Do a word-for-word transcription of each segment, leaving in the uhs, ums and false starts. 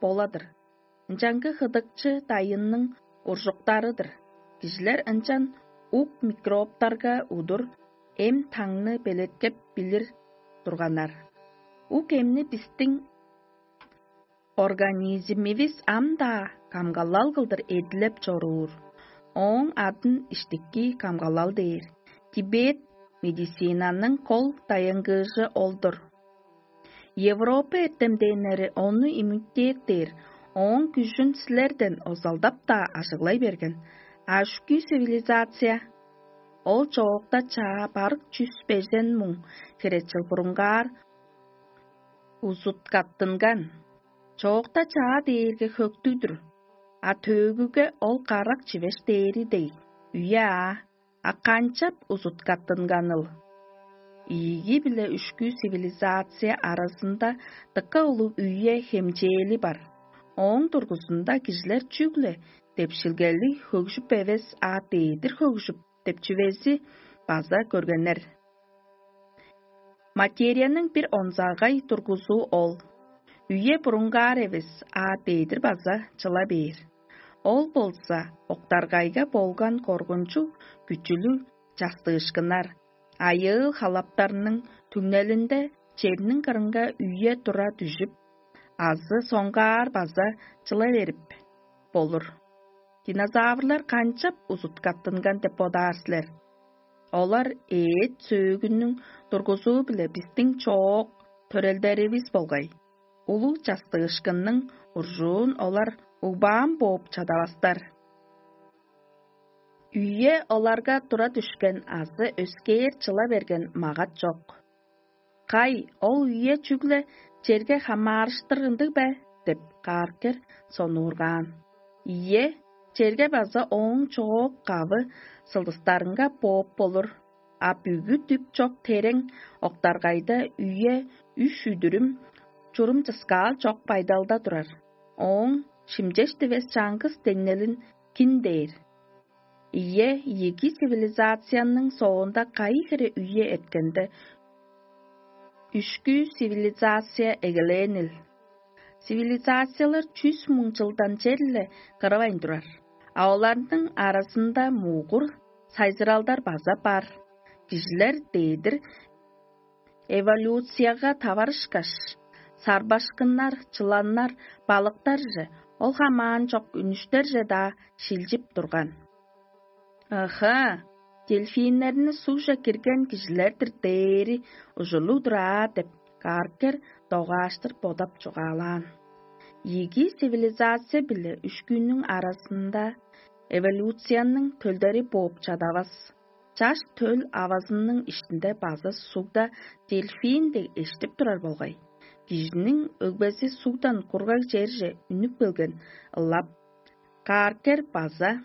бола-дыр. Ынчангы хыдыкчы дайынның уржуктары-дыр. Кижилер ынчан ук микробтарга удур эм-таңны белеткеп билир турганнар. Ук эмни бистиң организмивис ам-даа камгалал кылдыр эдилеп чоруур. Ооң адын иштики камгалал дээр. Тибет медицинаның кол даянгыыжы ол-дур. Европа эртемденнери ону иммунитет дээр, ооң күжүн силерден озалдап-даа ажыглай берген. А үшкү цивилизация, ол чоокта чаа барык чүс бежен муң херечил бурунгаар узуткаттынган. Чоокта чаа дээрге хөктүг-дүр, а төөгүге ол карак чивеш дээри дег, үе аа. А канчап узуткаттынганыл? Ийиги биле үшкү цивилизация аразында дыка улуг үе хемчээли бар. Ооң дургузунда кижилер чүгле депшилгели хөгжүп эвес, а дедир хөгжүп деп чүвези база көргеннер. Материяның бир онзагай тургузуу ол. Үе бурунгаар эвес, а дедир база чыла бээр. Ол болза октаргайга болган коргунчуг күчүлүг частыышкыннар, айыыл халаптарның түңнелинде черниң кырынга үе тура дүжүп, азы соңгаар база чыла берип болур. Динозаврлар канчап узуткаттынган деп бодаар силер? Олар эът сөөгүнүң тургузуу-биле бистиң чоок төрелдеривис болгай. Улуг частыышкынның уржуун олар угбаан бооп чадавастар. Үе оларга тура дүшкен азы өскээр чыла берген магат чок. «Кай, ол үе чүгле черге хамаарыштыр ындыг бе?» — деп Кааркер сонуургаан. «Ийе, черге база ооң чоок-кавы сылдыстарынга бооп болур, а бүгү дүп чок терең октаргайда үе үш үдүрүм чурум чыскаал чок байдалда турар. Ооң шимчеш дивес чаңгыс деңнелин кин дээр?» Ийе, ийиги цивилизацияның соонда кайы хире үе эрткенде, үшкү цивилизация эгелээнил. Цивилизациялар чүс муң чылдан черле кырывайн турар, а оларның аразында мугур сайзыралдар база бар. Кижилер дээдир эволюцияга таварышкаш, сарбашкыннар, чыланнар, балыктарже, ол хамаан чок үнүштерже-даа шилчип турган. «Ыха, дельфиннерни сугже кирген кижилер-дир дээри ужурлуг-дур аа», — деп Каркер догааштыр бодап чугаалаан. Ийиги цивилизация биле үшкүнүң аразында эволюцияның төлдери бооп чадавас. Чаш төл авазының иштинде база сугда дельфин дег эштип турар болгай. Кижиниң өгбези сугдан кургаг черже үнүп келген ылап, Каркер база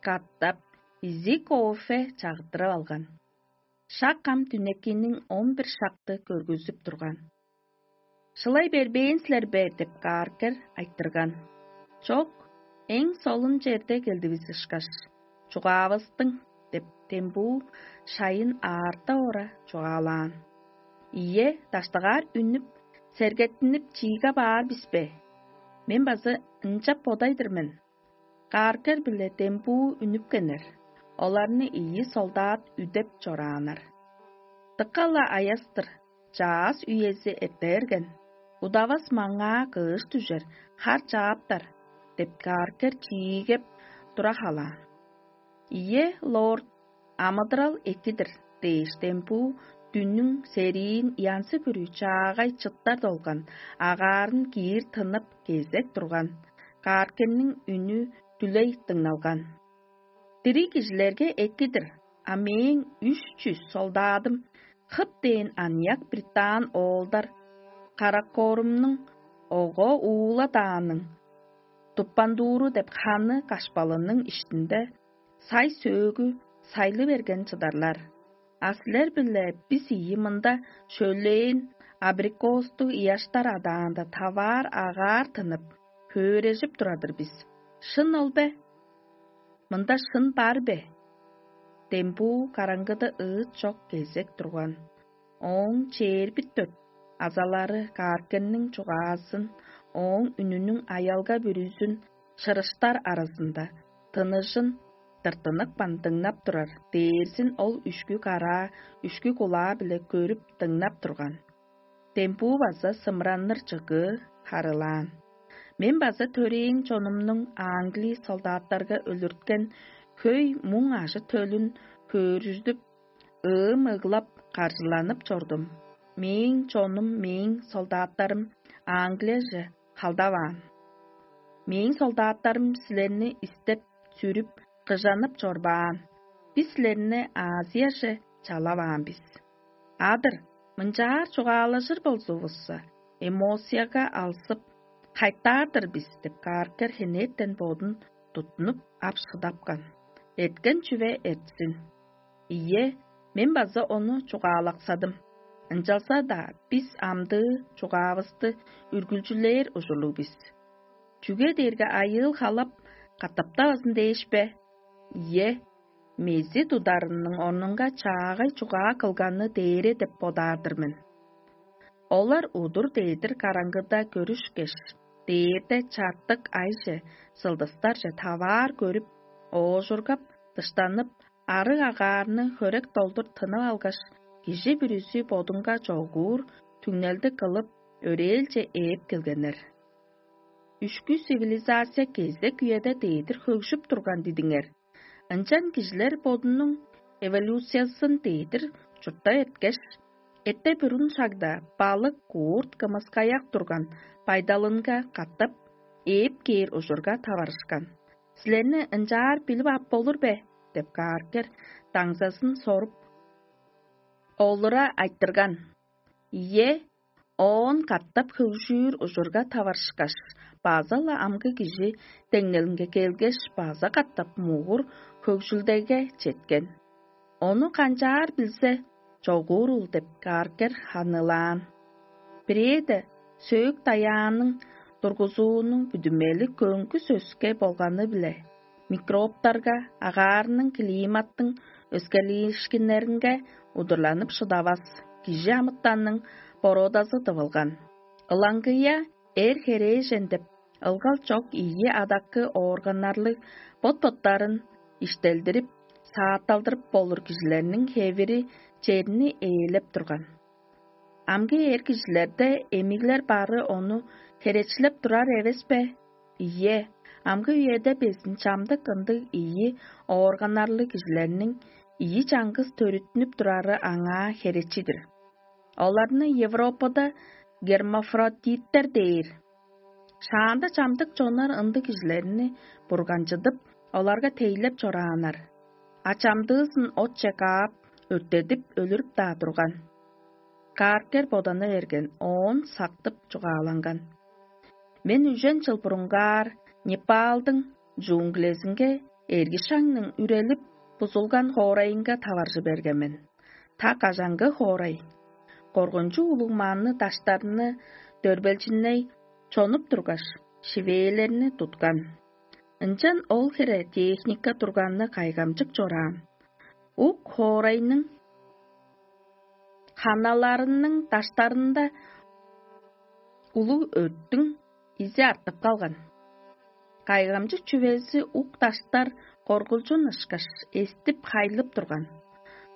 катап изиг кофе чагыттырып алган. Шак ам дүнекиниң он бир шакты көргүзүп турган. «Шылай бербээн силер бе?» — деп Каркер айтырган. «Чок, эң солун черде келдивис ышкаш, чугаавыстың», — деп Тембуу шайын аарта ора чугаалаан. «Ийе, даштыгаар үнүп, сергеттинип чииге баар бис бе? Мен база ынчап бодай-дыр мен». Каркер биле Тембуу үнүпкеннер. Оларны ийи солдат үдеп чорааннар. «Дыка-ла аяс-тыр, чаъс үези эрте берген. Удавас маңаа кыыш дүжер, хар чааптар», — деп Каркер чиигеп тура халаан. «Ийе, лорд, амыдырал эки-дир», — дээштен, бо дүннүң сериин янзы-бүрү чаагай чыттар долган, агаарын киир тынып, кезек турган Каркерниң үнү дүлей дыңналган. «Дириг кижилерге эки-дир, а мээң үш чүс солдадым хып дээн аныяк британ оолдар Каракорумнуң ого уула дааның Туппандууру деп ханы кашпалының иштинде сай-сөөгү сайлы берген чыдарлар. А силер-биле бис ийи мында шөлээн абрикостуг ыяштар адаанда таваар агаар тынып, хөөрежип турар-дыр бис. Шын ол бе? Мында шын бар бе?» Дембуу караңгыда ыыт чок кезек турган. Ооң чээрби дөрт азалары Кааркенниң чугаазын ооң үнүнүң аялга бүрүзүн шырыштар аразында тыныжын тыртыныкпан дыңнап турар дээрзин ол үшкү караа, үшкү кулаа-биле көрүп дыңнап турган. Дембуу база сымранныр чыгыы харылаан. Мен база төрээн чонумнуң англи солдаттарга өлүрткен хөй муң ажы-төлүн хөөрүждүп, ыым ыглап, каржыланып чордум. Мээң чонум, мээң солдаттарым Англияже халдаваан. Мээң солдаттарым силерни истеп, сүрүп, кыжанып чорбаан. Бис силерни Азияже чалаваан бис. Адыр, мынчаар чугаалажыр болзувусса, эмоцияга алзып, кайтаар-дыр бис деп кааркер хенээттен бодун туттунуп ап шыдапкан. Эрткен чүве эртсин. Ийе, мен база ону чугаалаксадым. Ынчалза-даа бис амдыы чугаавысты үргүлчүлээр ужурлуг бис. Чүге дээрге айыыл халап катаптавазын дээш бе? Ийе, мези тударының орнунга чаагай чугаа кылганы дээре деп бодаар-дыр мен. Олар удур дедир караңгыда көрүшкеш, дээрде чартык айже сылдыстарже таваар көрүп, оожургап, дыштанып, арыг агаарны хөрек долдур тынып алгаш, кижи бүрүзү бодунга чогуур түңнелди кылып, өрээлче ээп келгеннер. Үшкү цивилизация кезек үеде дедир хөгжүп турган дидиңер. Ынчан кижилер бодунуң эволюциясын дедир чуртта эрткеш, эрте бүрүн шагда балык, куурт, кымыскаяк турган байдалынга катап ээп кээр ужурга таварышкан. Силерни ынчаар билип ап болур бе? Деп кааргер даңзазын соруп, олура айтырган. Ийе, оон катап хөгжүүр ужурга таварышкаш, база-ла амгы кижи деңнелинге келгеш, база катап мугур хөгжүлдеге четкен. Ону канчаар билзе, чогуурул деп кааргер ханылаан. Бирээде сөөк даяанның тургузуунуң бүдүмели көңгүс өске болганы-биле, микробтарга, агаарның климаттың өскелиишкиннеринге удурланып шыдавас кижи амытанның бородазы тывылган. Ылаңгыя эр херээжен деп ылгал чок ийи адаккы органнарлыг бот-боттарын иштелдирип, саатталдырып болур кижилерниң хевири черни ээлеп турган. Амгы эр кижилерде эмиглер бары ону херечилеп турар эвес бе? Ийе, амгы үеде безин чамдык ындыг ийи органнарлыг кижилерниң ийи чаңгыс төрүттүнүп турары аңаа херечи-дир. Оларны Европада гермафродиттер дээр. Шаанда чамдык чоннар ындыг кижилерни бурганчыдып, оларга тейлеп чорааннар. А чамдыызын отче каап, өрттедип өлүрүп-даа турган. Кааркер бодана берген, оон сактып чугааланган. Мен үжен чыл бурунгаар Непалдың джунглезинге эрги шаңның үрелип бузулган хоорайынга таваржы берген мен. Та кажаңгы хоорай. Коргунчуг улуг манны даштарны дөрбелчинней чонуп тургаш, шивээлерни туткан. Ынчан ол хире техника турганны кайгамчык чораан. Ук хоорайның ханаларының даштарында улуг өрттүң изи артып калган. Кайгамчык чүвези ук даштар коргулчун ышкаш эстип хайлып турган.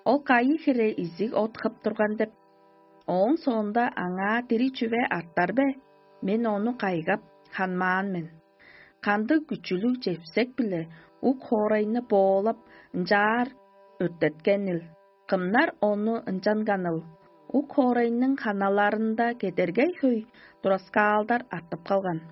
Ол кайы хире изиг от хып турган деп, ооң соонда аңаа дириг чүве артар бе? Мен ону кайгап, ханмаан мен. Кандыг күчүлүг чепсек-биле ук хоорайны боолап, ынчаар өрттеткенил? Кымнар ону ынчанганыл? Ук хоорайның ханаларында кедергей хөй тураскаалдар артып калган.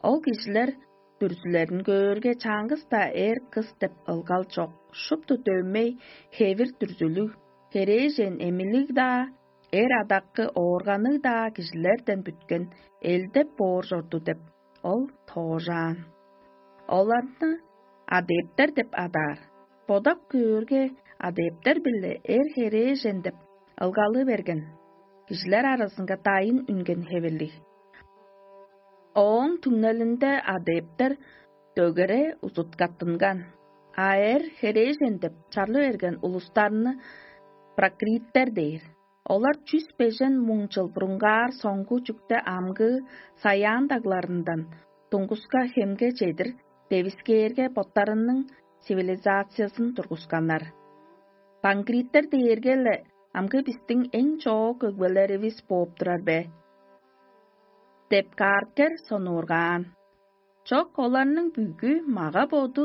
Ол кижилер дүрзүлерин көөрге, чаңгыс-даа эр-кыс деп ылгал чок, шупту дөмей, хевир дүрзүлүг, херээжен эмилиг-даа, эр адаккы оорганныг-даа кижилерден бүткен элдеп боор чорду деп, ол тоожаан. Оларны адептер деп адаар. Бодап көөрге, адептер-биле эр херээжен деп ылгалы берген. Кижилер аразынга дайын үнген хевирлиг. Ооң түңнелинде адептер дөгере узуткаттынган, а эр херээжен деп чарлы берген улустарны прокриттер дээр. Олар чүс бежен муң чыл бурунгаар соңгу чүкте амгы Саян дагларындан Туңгуска хемге чедир девискээрге боттарының цивилизациязын тургусканнар. Пангриттер дээрге-ле амгы бистиң эң чоок өгбелеривис бооп турар бе? Деп Каркер сонуургаан. Чок, оларның бүгү мага-боду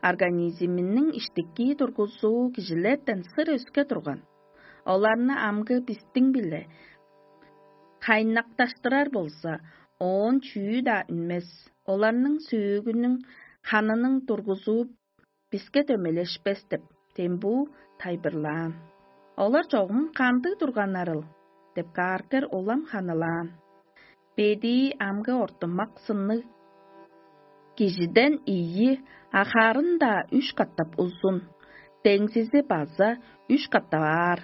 организминиң иштики тургузуу кижилерден сыр өске турган. Оларны амгы бистиң-биле хайнакташтырар болза, оон чүү-даа үнмес. Оларның сөөгүнүң ханының тургузуу биске дөмелешпес деп, дембүү тайбырлаан. Олар чогум кандыг турганнарыл деп Каркер улам ханылаан. Бедии амгы ортумак сынныг кижиден ийи, а харын-даа үш катап узун, деңзизи база үш катап аар.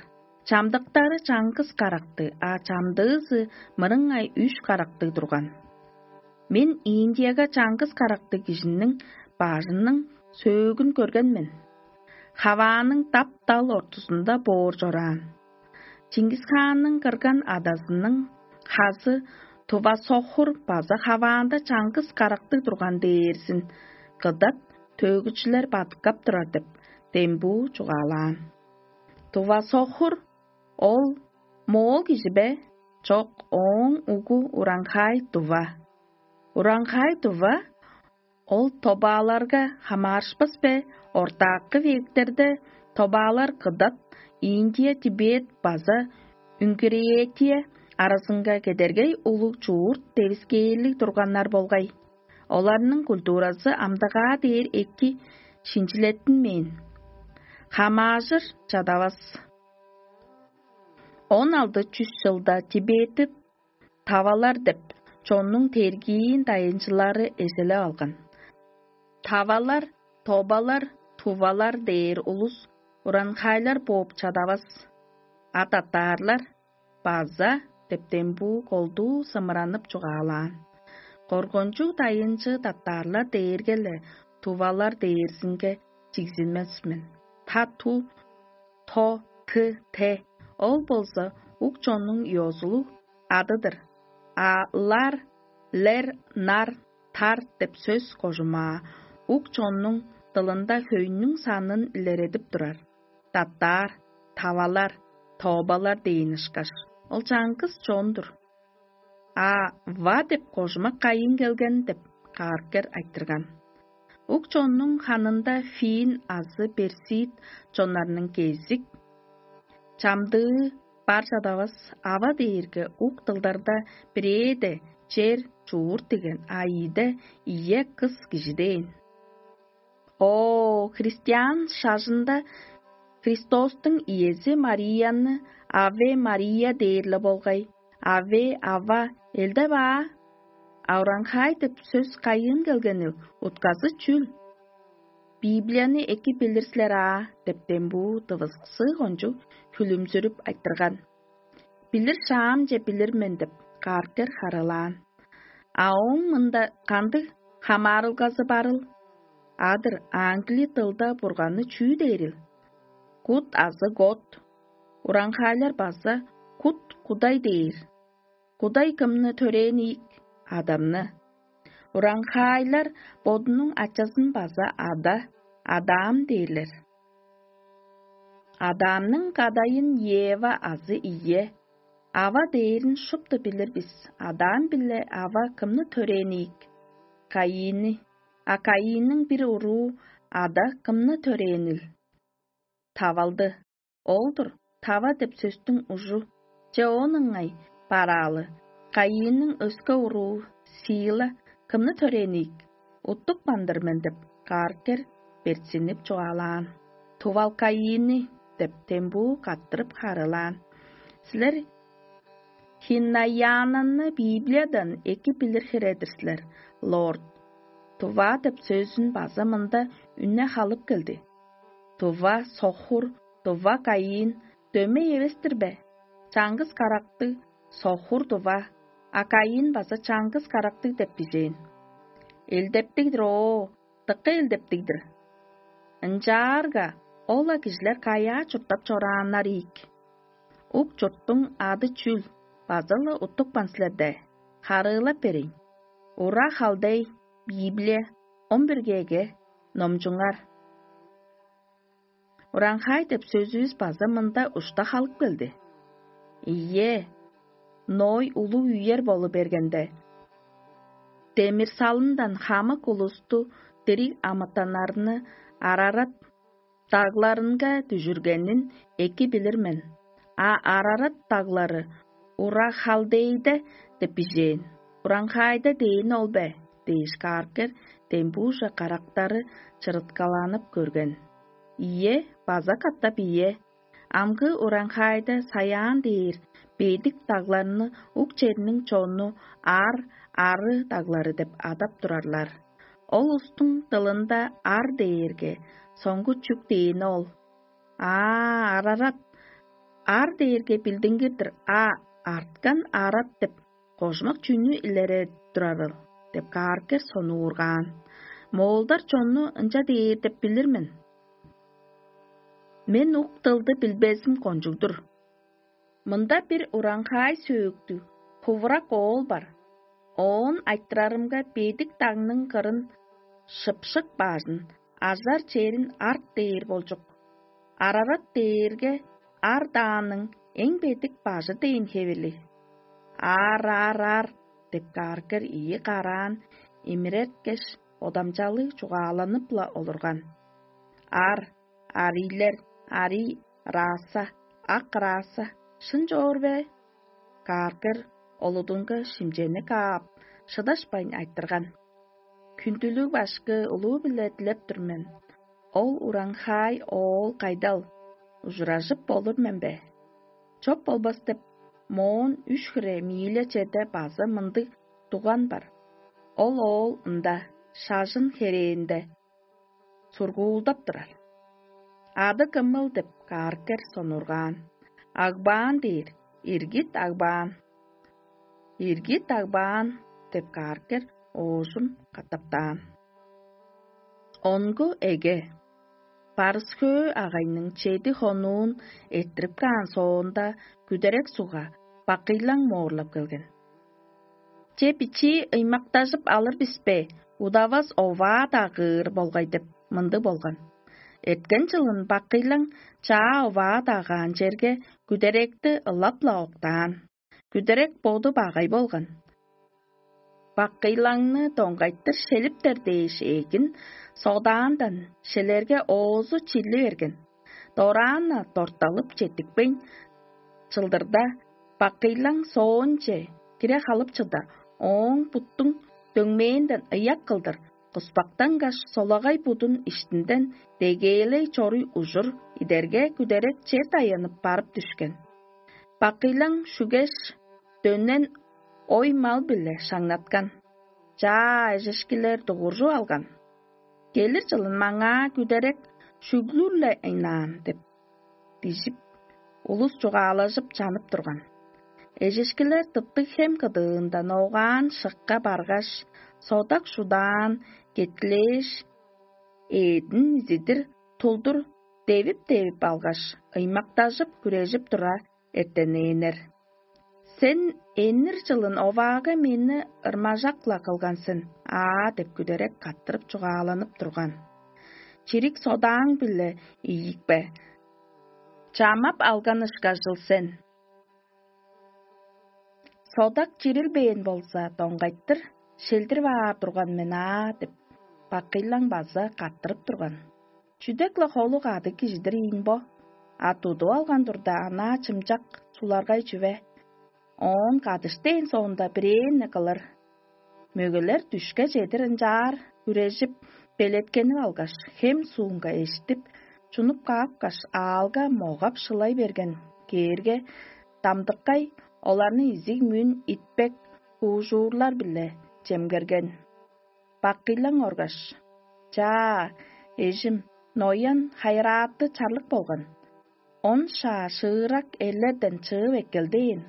Чамдыктары чаңгыс каракты, а чамдыызы мырыңай үш каракты турган. Мен Индияга чаңгыс карактыг кижиниң бажының сөөгүн көрген мен. Хавааның дап-дал ортузунда боор чораан. Чингисханның кырган адазының хазы Тува Сохур база хаваанда чаңгыс карактыг турган дээрзин кыдат төөгүчүлер бадыткап турар деп, дембүү чугаалаан. Тува Сохур ол моол кижи бе? Чок, ооң угу Уранхай Тува. Уранхай Тува ол тобааларга хамаарышпас бе? Ортаакы вектерде тобаалар кыдат, Индия, Тибет база Үнгүреетия аразынга кедергей улуг чуурт девискээрлиг турганнар болгай. Оларның культуразы амдагаа дээр эки шинчилеттинмээн. Хамаажыр чадавас. Он алды чүс чылда Тибетти тавалар деп чоннуң тергиин дайынчылары эзелеп алган. Тавалар, тобалар, тувалар дээр улус уранхайлар бооп чадавас. А татаарлар база деп дембүү колдуу сымыранып чугаалаан. Коргончуг дайынчы татаарлар дээрге-ле тувалар дээрзинге чигзинмес мен. Та ту, то ты те, ол болза ук чоннуң ёзулуг адыдыр. А лар, лер, нар, тар деп сөс кожумаа ук чоннуң дылында хөйнүң санын илередип турар. Даттаар, тавалар, тообалар дээн ышкаш. Ол чаңгыс чон-дур. А ва деп кожума кайын келген деп кааркер айтырган. Ук чоннуң ханында фин азы персид чоннарның кезик чамдыы бар чадавас. Ава дээрге ук дылдарда бирээде чер чуур деген, а ийде ийе кыс кижи дээн. О, христиан шажында Христостуң иези Марияны Аве Мария дээрле болгай. Аве, ава, элде баа. Авраңхай деп сөс кайыын келгенил, утказы чүл? Библияны эки билир силер аа деп дембуу дывызыксыы кончуг хүлүмзүрүп айтырган. Билир шаамче билир мен деп кааркер харылаан. А ооң мында кандыг хамаарылгазы барыл? Адыр, англи дылда бурганны чүү дээрил? Кут азы год. Ураңхаайлар база кут кудай дээр. Кудай кымны төрээн ийик? Адамны. Ураңхаайлар бодунуң ачазын база ада, адаам дээрлер. Адаамның кадайын Ева азы ийе, ава дээрин шупту билир бис. Адаам биле ава кымны төрээн ийик? Каинни. А Каинниң бир уруу ада кымны төрээрил? Тавалды. Ол-дур, тава деп сөстүң ужу. Че оон ыңай бараалы. Каинниң өске уруу Сиила кымны төрээниик? Уттук мандыр мен деп кааркер берзинип чугаалаан. Тувал Каинни деп дембуу каттырып харылаан. Силер Хиннаянаны Библиядан эки билир хире-дир силер, лорд. Тува деп сөзүн база мында үнне халып келди. Тува, сохур, тува, кайыын дөмей эвес-тир бе? Чаңгыс карактыг сохур тува, а кайыын база чаңгыс карактыг деп бижээн. Элдептиг-дир оо, дыка элдептиг-дир. Ынчаарга ол-ла кижилер каяа чурттап чорааннар ийик? Ук чурттуң ады чүл, база-ла уттупкан силерде? Харыылап берейн. Ура халдей, Библия, он бир кээге, номчуңар. Ураңхай деп сөзүвүс база мында ушта халып келди. Ийе, Ной улуг үер болу бергенде, демир салындан хамык улусту, дириг амытаннарны Арарат дагларынга дүжүргенин эки билир мен. А Арарат даглары Ура-Халдейде деп бижээн. Ураңхайда дээн ол бе? Дээш кааркер дембуужа карактары чырыткаланып көрген. Ийе, база катап ийе. Амгы ураңхайда саяан дээр бедик дагларны ук черниң чонну ар, ары даглары деп адап турарлар. Ол устуң дылында ар дээрге соңгу чүк дээни ол. Аа, арарат, ар дээрге билдингир-дир, а арткан арат деп кожумак чүнү илередип турарыл деп кааргер сонуургаан. Моолдар чонну ынча дээр деп билир мен. Мен ук дылды билбезим кончуг-дур. Мында бир ураңхаай сөөктүг, хувурак оол бар. Оон айтырарымга бедик дагның кырын шыпшык баажын, ажар черин арт дээр болчук. Арарат дээрге ар дааның эң бедик бажы дээн хевели. Аар, аар, аар деп кааргер ийи караан имирерткеш, бодамчалыг чугааланып-ла олурган. Ар, арийлер, арий, раса, ак раса, шын чоор бе? Кааргер олудунга шимчени каап, шыдашпайн айтырган. Хүндүлүг башкы улуу-биле дилеп тур мен. Ол ураңхаай оол кайдал, ужуражып болур мен бе? Чоп болбас деп, моон үш хире мииле черде база мындыг дуган бар. Ол оол ында, шажын херээнде, сургуулдап турар. Ады кымыл деп кааргер сонургаан. Агбаан дээр, иргит агбаан. Иргит агбаан деп кааргер оожум катаптаан. Онгу эге. Барыс-хөө агайның чеди хонуун эрттирип каан соонда күдерек сугга бакыйлаң моорлап келген. Че бичии ыймактажып алыр бис бе, удавас оваа-даа кыыр болгай деп мындыг болган. Эрткен чылын бакыйлаң чаа оваа-даа каан черге күдеректи ылап-ла октаан. Күдерек боду багай болган. Бакыйлаңны доңгайтыр шелиптер дээш ээгин содаандан шелерге оозу чилли берген. Дораан-на дорталып четтикпейн чылдырда, бакыйлаң соонче кире халып чыда, ооң буттуң дөңмээнден ыяк кылдыр, куспактангаш солагай будун иштинден дегээлей чоруй ужур идерге күдерек чер даянып барып дүшкен. Бакыйлаң шүгеш, дөнен ой-мал-биле шаңнаткан. Чаа эжешкилер дугуржуп алган. Келир чылын маңаа күдерек шүглүр-ле ыйнаан деп дижип, улус чугаалажып чанып турган. Эжешкилер тыптыг хем кыдыындан огаан шыкка баргаш, содак шудаан кеткилээш, эъдин изидир тулдур девип-девип алгаш, ыймактажып, хүрежип тура эртенээннер. «Сен эннир чылын оваага мени ырмажак-ла кылган сен аа» — деп күдерек каттырып чугааланып турган. «Чирик содааң-биле ийик бе? Чамап алган ышкажыл сен. Содак чирилбээн болза, доңгайтыр шелдирип аар турган мен аа» — деп, бакыйлаң база каттырып турган. Чүдек-ла холу кадыг кижи-дир ийин бо, а тудуп алган турда, анаа чымчак суларгай чүве. Оон кадыштээн соонда бирээни кылыр. Мөгелер дүшке чедир ынчаар үрежип, белеткенип алгаш, хем суунга эштип, чунуп каапкаш, аалга могап шылай берген кээрге, дамдыккай оларны изиг-мүн итпек хуужуурлар-биле чемгерген. Баккыйлаң оргаш: «Чаа, эжим, ноян хайырааты чарлык болган. Он шаа шыырак эрлерден чыып эккелдээн.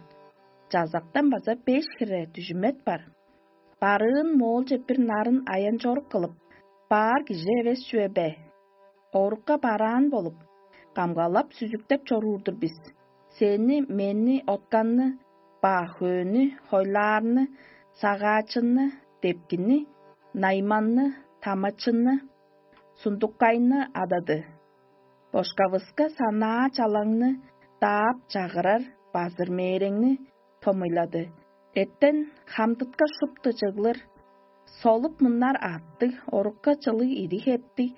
Чазактан база беш хире дүжүмет бар. Барыын моолче бир нарын аян-чорук кылып, баар кижи эвес чүве бе? Орукка бараан болуп, камгалап-сүзүктеп чоруур-дур бис. сени, мени, отканны, ба хөөнү, хойлаарны, сагаачынны, депкини, найманны, тамачынны, сундуккайны адады. Бошкавыска санаа чалаңны даап чагырар базыр мээреңни томуйлады. Эртен хамдытка шупту чыглыр, солуп мыннар аттыг, орукка чылыг идиг эптиг,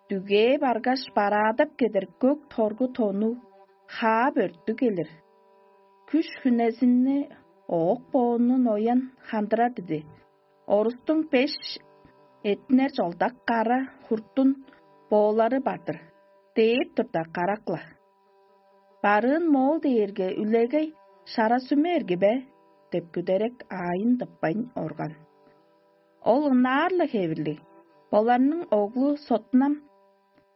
дүгээ баргаш, бараадап кедер көк торгу тону, хаап өрттү келир. Күш хүнезинни оок боонну ноян хандырар диди. Орустуң беш этинер чолдак кара хуртун боолары бар-дыр, дээп турда карак-ла. Барыын моол дээрге үлегей шара сүме эрги бе? Деп күдерек аайын тыппайн орган. Ол ынаар-ла хевирлиг. Боларның оглу Сотунам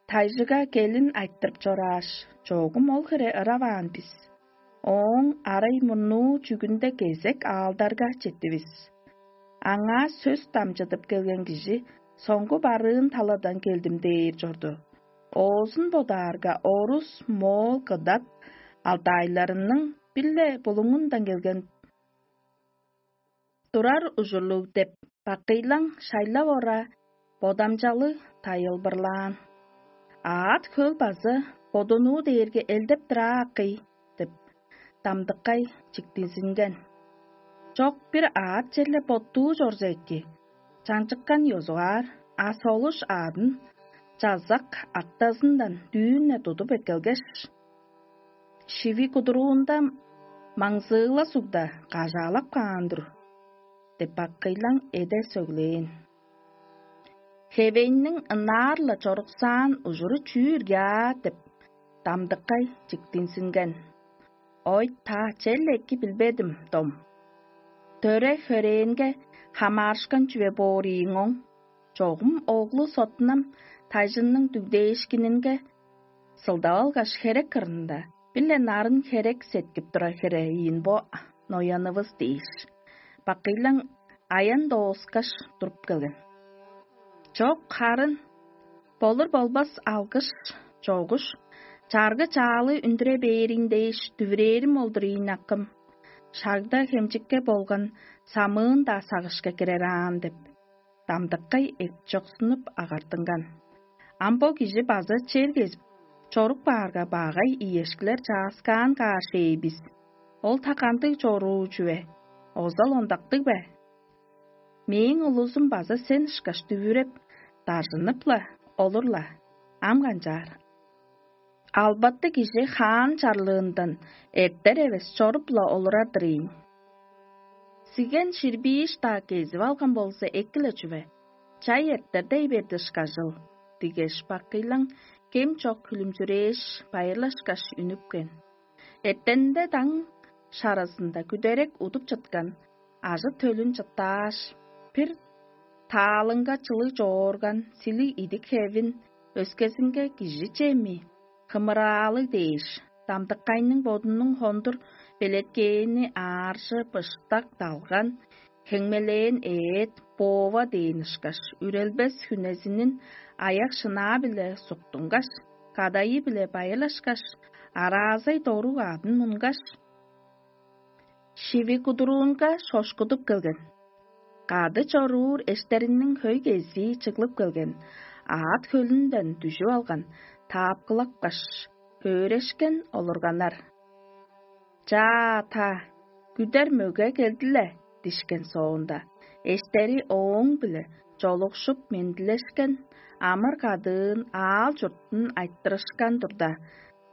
тайжыга келин айтырып чорааш, чогум ол хире ыраваан бис. Ооң арай мурнуу чүгүнде кезек аалдарга четтивис. Аңаа сөс дамчыдып келген кижи соңгу барыын таладан келдим дээр чорду. Оозун бодаарга, орус, моол, кыдат, алтайларының бир-ле булуңундан келген турар ужурлуг деп, бакыйлаң шайлап ора, бодамчалы тайылбырлаан. Аът хөл база бодунуу дээрге элдеп-дыр аа, акый, деп, дамдыккай чиктинзинген. Чок, бир аът черле боттуу чорза эки, чаңчыккан ёзугаар, а солуш аадын чазак актазындан дүүн-не тудуп эккелгеш, шиви кудуруунда маңзыыла сугда кажаалап каан-дыр деп, бакыйлаң эде сөглээн. Хевейниң ынаар-ла чоруксаан ужуру чүү ирге аа деп, дамдыккай чиктинзинген. Ой, та чел эки билбедим, дом. Төре-хөрээнге хамаарышкан чүве боор ийиң оң. Чогум оглу Сотунам тайжынның дүгдээшкининге сылдап алгаш, херек кырында бир-ле нарын херек сеткип турар хире ийин бо ноянывыс дээш, бакыйлаң аян дооскаш туруп келген. Чок, харын, болур-болбас алгыш, чогуш, чаргы-чаалы үндүре бээриң дээш дүвүрээрим ол-дур ийин, акым. Шагда хемчикке болган самыын-даа сагышка кирер аан деп, дамдыккай эпчоксунуп агартынган. Ам бо кижи база чер кезип, чорук баарга, багай иешкилер чааскаан каар шээ бис. Ол та кандыг чоруу чүве? Озал ондактыг бе? Мээң улузум база сен ышкаш дүвүреп, дажынып-ла олур-ла. Ам канчаар? Албаты кижи хаан чарлыындан эртер эвес чоруп-ла олурар-дыр ийин. Сиген ширбииш-даа кезип алган болза, эки-ле чүве. Чай эртер дей берди ышкажыл, дигеш, бакыйлаң кем чок хүлүмчүрээш, байырлашкаш үнүпкен. Эртенде даң шаразында күдерек удуп чыткан ажы-төлүн чыттааш, бир таалыңга чылыг чоорган силиг идик хевин өскезинге кижи чеми, хымыраалыг дээш, дамдыккайның бодунуң хондур белеткээни ааржы быштак далган, хеңмелээн ээт, боова дээн ышкаш, үрелбес хүнезинин аяк-шынаа-биле суктунгаш, кадайы-биле байырлашкаш, араазай дорук аадын мунгаш, шиви кудуруунга шошкудуп келген. Кады чоруур эштериниң хөй кезии чыглып келген, аът хөлүнден дүжүп алган, таапкылапкаш, хөөрешкен олурганнар. «Чаа, та, күдер мөге келди-ле» дишкен соонда, эштери ооң-биле чолукшуп мендилешкен, амыр-кадыын, аал-чуртун айтырышкан турда,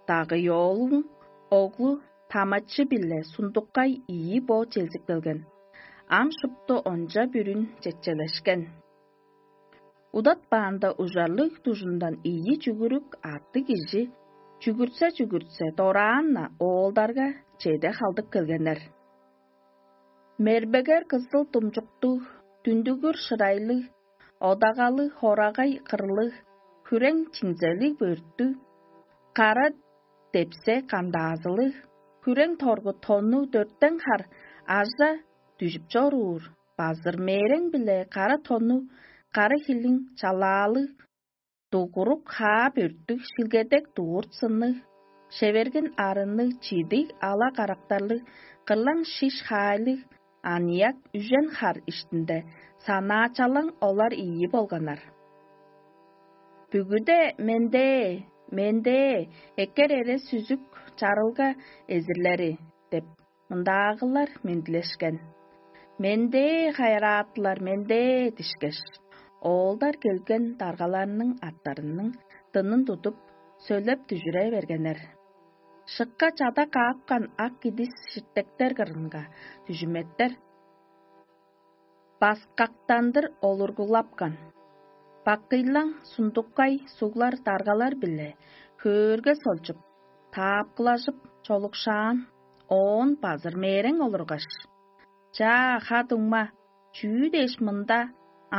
дагыйоолуң оглу тамачы-биле сундуккай ийи бо челзип келген. Ам шупту онча бүрүн четчелешкен. Удатпаанда, ужарлыг дужундан ийи чүгүрүк аттыг кижи чүгүртсе-чүгүртсе, дораан-на оолдарга чеде халдып келгеннер. Мербегер кызыл думчуктуг, дүндүгүр шырайлыг, одагалыг хорагай кырлыг, хүрең чинзелиг бөрттүг, кара депсе кандаазылыг, хүрең торгу тоннуг дөртен хар ажа дүжүп чоруур, базыр мерең-биле кара тоннуг, кара хилиң чалаалыг, дугурук хаа бөрттүг, шилгедек дурт сынныг, Шеверген арынныг чидиг ала карактарлыг, кырлаң шиш хаайлыг аныяк үжен хар иштинде санаачалаң олар ийи болганнар. «Бүгүде мендээ, мендээ, эккер эре сүзүк чарылга эзирлери» – деп, мындаагылар мендилешкен. «Мендээ, хайыраатылар, мендээ» – дишкеш, оолдар келген даргаларның аттарының дынын тудуп, сөйлеп дүжүре бергеннер. Шыкка чада каапкан ак кидис ширтектер кырынга дүжүметтер баскактандыр олургулапкан. Бакыйлаң сундуккай суглар даргалар-биле хөөрге солчуп, таапкылажып чолукшаан, оон базыр мээрең олургаш: «Чаа, ха-дуңма, чүү дээш мында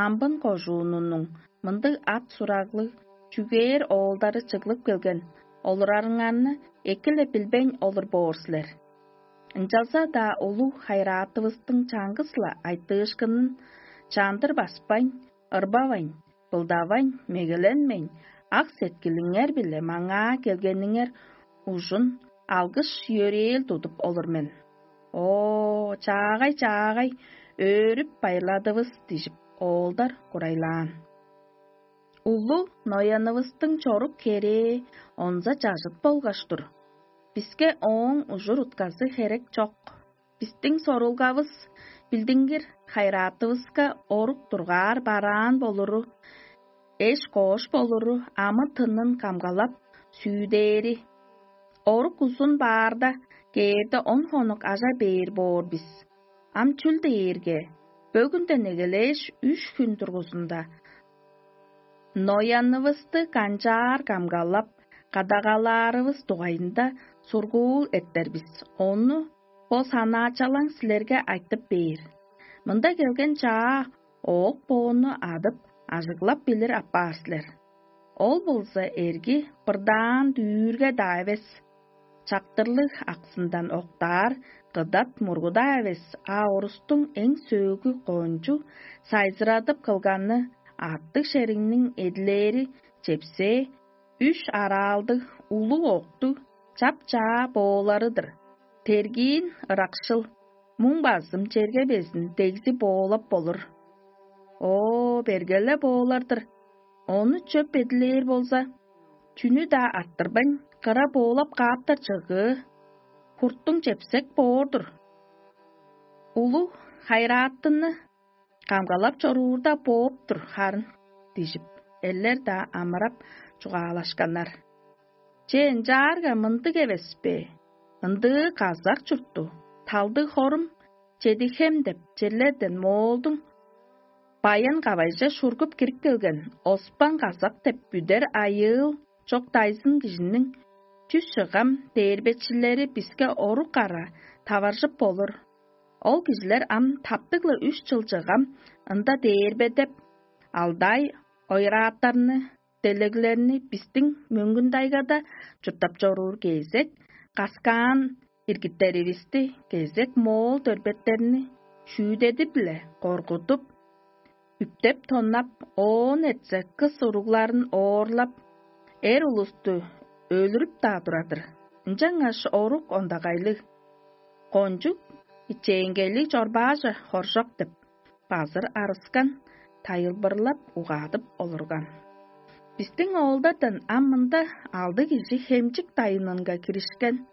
амбын кожуунунуң мындыг ат-сураглыг, чүгээр оолдары чыглып келген олурарыңарны эки-ле билбейн олур боор силер. Ынчалза-даа улуг хайыраатывыстың чаңгыс-ла айтыышкынын чандыр баспайн, ырбавайн, былдавайн, мегеленмейн, ак сеткилиңер-биле маңаа келгениңер ужун алгыш-йөрээл тудуп олур мен. О, чаагай-чаагай, өөрүп байырладывыс» – дижип, оолдар курайлаан. Улу ноянывыстың чорук херээ онза чажыт болгаш-тур. Биске ооң ужур-утказы херек чок. Бистиң сорулгавыс билдингир хайыраатывыска орук дургаар бараан болуру, эш-коош болуру, амы-тынын камгалап сүүдээри. Орук узун баарда, кээрде он хонук ажа бээр боор бис. Ам чүл дээрге, бөгүнден эгелээш үш хүн дургузунда ноянывысты канчаар камгалап, кадагалаарывыс дугайында сургуул эртер бис. Ону бо санаачалаң силерге айтып бээр. Мында келген чаа оок-боонну адып, ажыглап билир апаар силер. Ол болза эрги бырдаан дүүрге-даа эвес, чактырлыг аксындан октаар кыдат мургу-даа эвес, а орустуң эң сөөлгү кончуг сайзырадып кылганы артык шериңниң эдилээри чепсээ, үш араалдыг улуг октуг чап-чаа боолары-дыр. Тергиин ыракшыл, муң базым черге безин дегзи боолап болур. О, берге-ле боолар-дыр. Ону чөп эдилээр болза, чүнү-даа арттырбайн, кыра боолап кааптар чыгыы, хурттуң чепсек боор-дур. Улуг хайырааттыны камгалап чоруурда бооп-тур харын» – дижип, эрлер-даа амырап чугаалашканнар. «Че, ынчаарга мындыг эвес бе? Ындыы казак чуртту, талдыг хорум Чедихем деп черлерден моолдуң Баян-Кавайже шургуп кирип келген Оспан Казак деп бүдер айыыл чок дайзын кижиниң чүс чыгам дээрбечилери биске орук-кара таваржып болур. Ол кижилер ам таптыг-ла үш чыл чыгам ында дээрбедеп, алдай ойрааттарны, делеглерни бистиң Мөңгүн-Тайгада чурттап чоруур кезек каскаан иргиттеривисти, кезек моол дөрбеттерни шүүдеди-биле коргудуп, үптеп-тоннап, оон эртсе кыс уругларын оорлап, эр улусту өлүрүп-даа турар-дыр. Ынчангаш орук ондагайлыг, кончуг ичээнгейлиг чорбааже хоржок деп, базыр арыскан, тайылбырлап угаадып олурган. Бистиң оолдардан ам мында алды кижи хемчик дайынынга киришкен,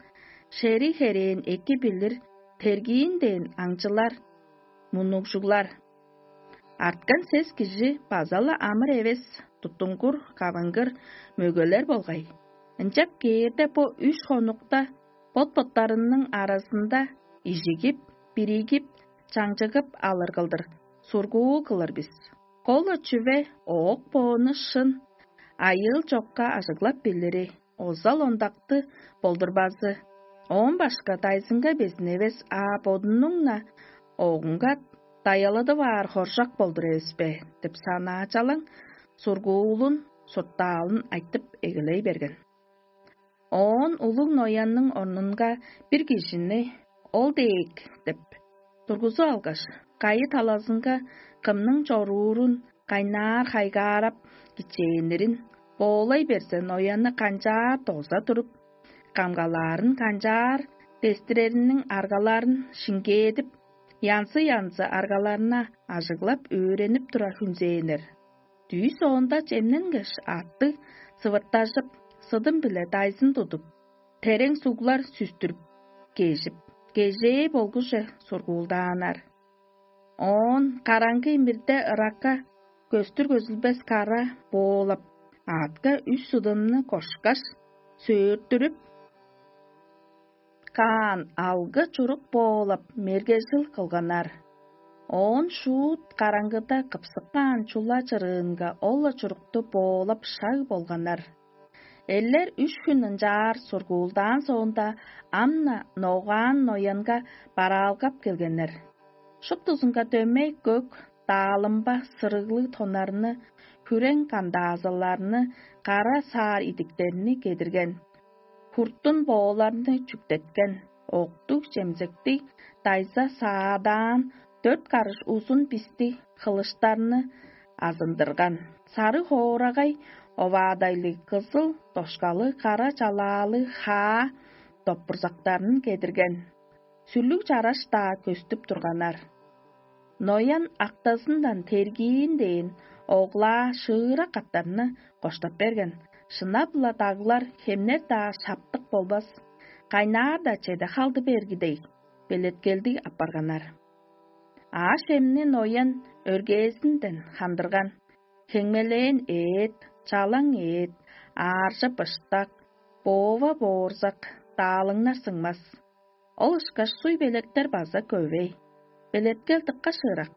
шериг-херээн эки билир, тергиин дээн аңчылар, муннугжуглар. Арткан сес кижи база-ла амыр эвес, туттунгур, кавынгыр мөгелер болгай. Ынчап кээрде бо үш хонукта бот-боттарының аразында ижигип, биригип, чаңчыгып алыр кылдыр сургуул кылыр бис. Кол-ла чүве оок-боону шын, айыыл чокка ажыглап билири, озал-ондакты болдурбазы. Оон башка дайзынга безин эвес, а бодунуң-на оогунга даяладып аар хоржак болдур эвес бе деп санаачалаң сургуулун суртаалын айтып эгелей берген. Оон улуг ноянның орнунга бир кижини ол дег деп тургузуп алгаш, кайы талазынга кымның чоруурун кайнаар хайгаарап кичээннерин боолай берзе, ноянны канчаар доза туруп, камгалаарын канчаар дестирериниң аргаларын шиңгээдип, янзы-янзы аргаларны ажыглап өөренип тура хүнзээннер. Дүъш оонда чемненгеш, аттыг сывыртажып, сыдым-биле дайзын тудуп, терең суглар сүстүрүп, кежип, кежээ болгуже сургуулдааннар. Оон караңгы имирде ыракка көстүр көзүлбес кара боолап, аътка үш судумну кошкаш, сөөрттүрүп, каан алгы чурук боолап, мергежил кылганнар. Оон шуут караңгыда кыпсыккаан чула чырыынга ол-ла чурукту боолап шаг болганнар. Эллер үш хүн ынчаар сургуулдаан соонда, ам-на ногаан ноянга бараалгап келгеннер. Шуптузунга дөмей көк, даалымба сырыглыг тоннарны, хүрең кандаазыларны, кара саар идиктерни кедирген. Хуртун бооларны чүктеткен, октуг чемзектиг, дайза саадаан, дөрт карыш узун бистиг хылыштарны азындырган. Сары хоорагай оваадайлыг, кызыл дошкалы, кара чалаалы хаа доппурзактарын кедирген. Сүрлүг чараш-даа көстүп турганнар. Ноян актазындан тергиин дээн оглаа шыыра каттарны коштап берген. Шынап-ла даглар, хемнер-даа шаптык болбас, кайнаар-даа чеде халды берги дег, белеткелдиг апарганнар. Аъш-чемни Ноян өргээзинден хандырган: хеңмелээн эът, чалаң эът, ааржы-быштак, боова боорзак, даалыңнар сыңмас. Ол ышкаш суй белектер база көвей, белеткел дыка шыырак.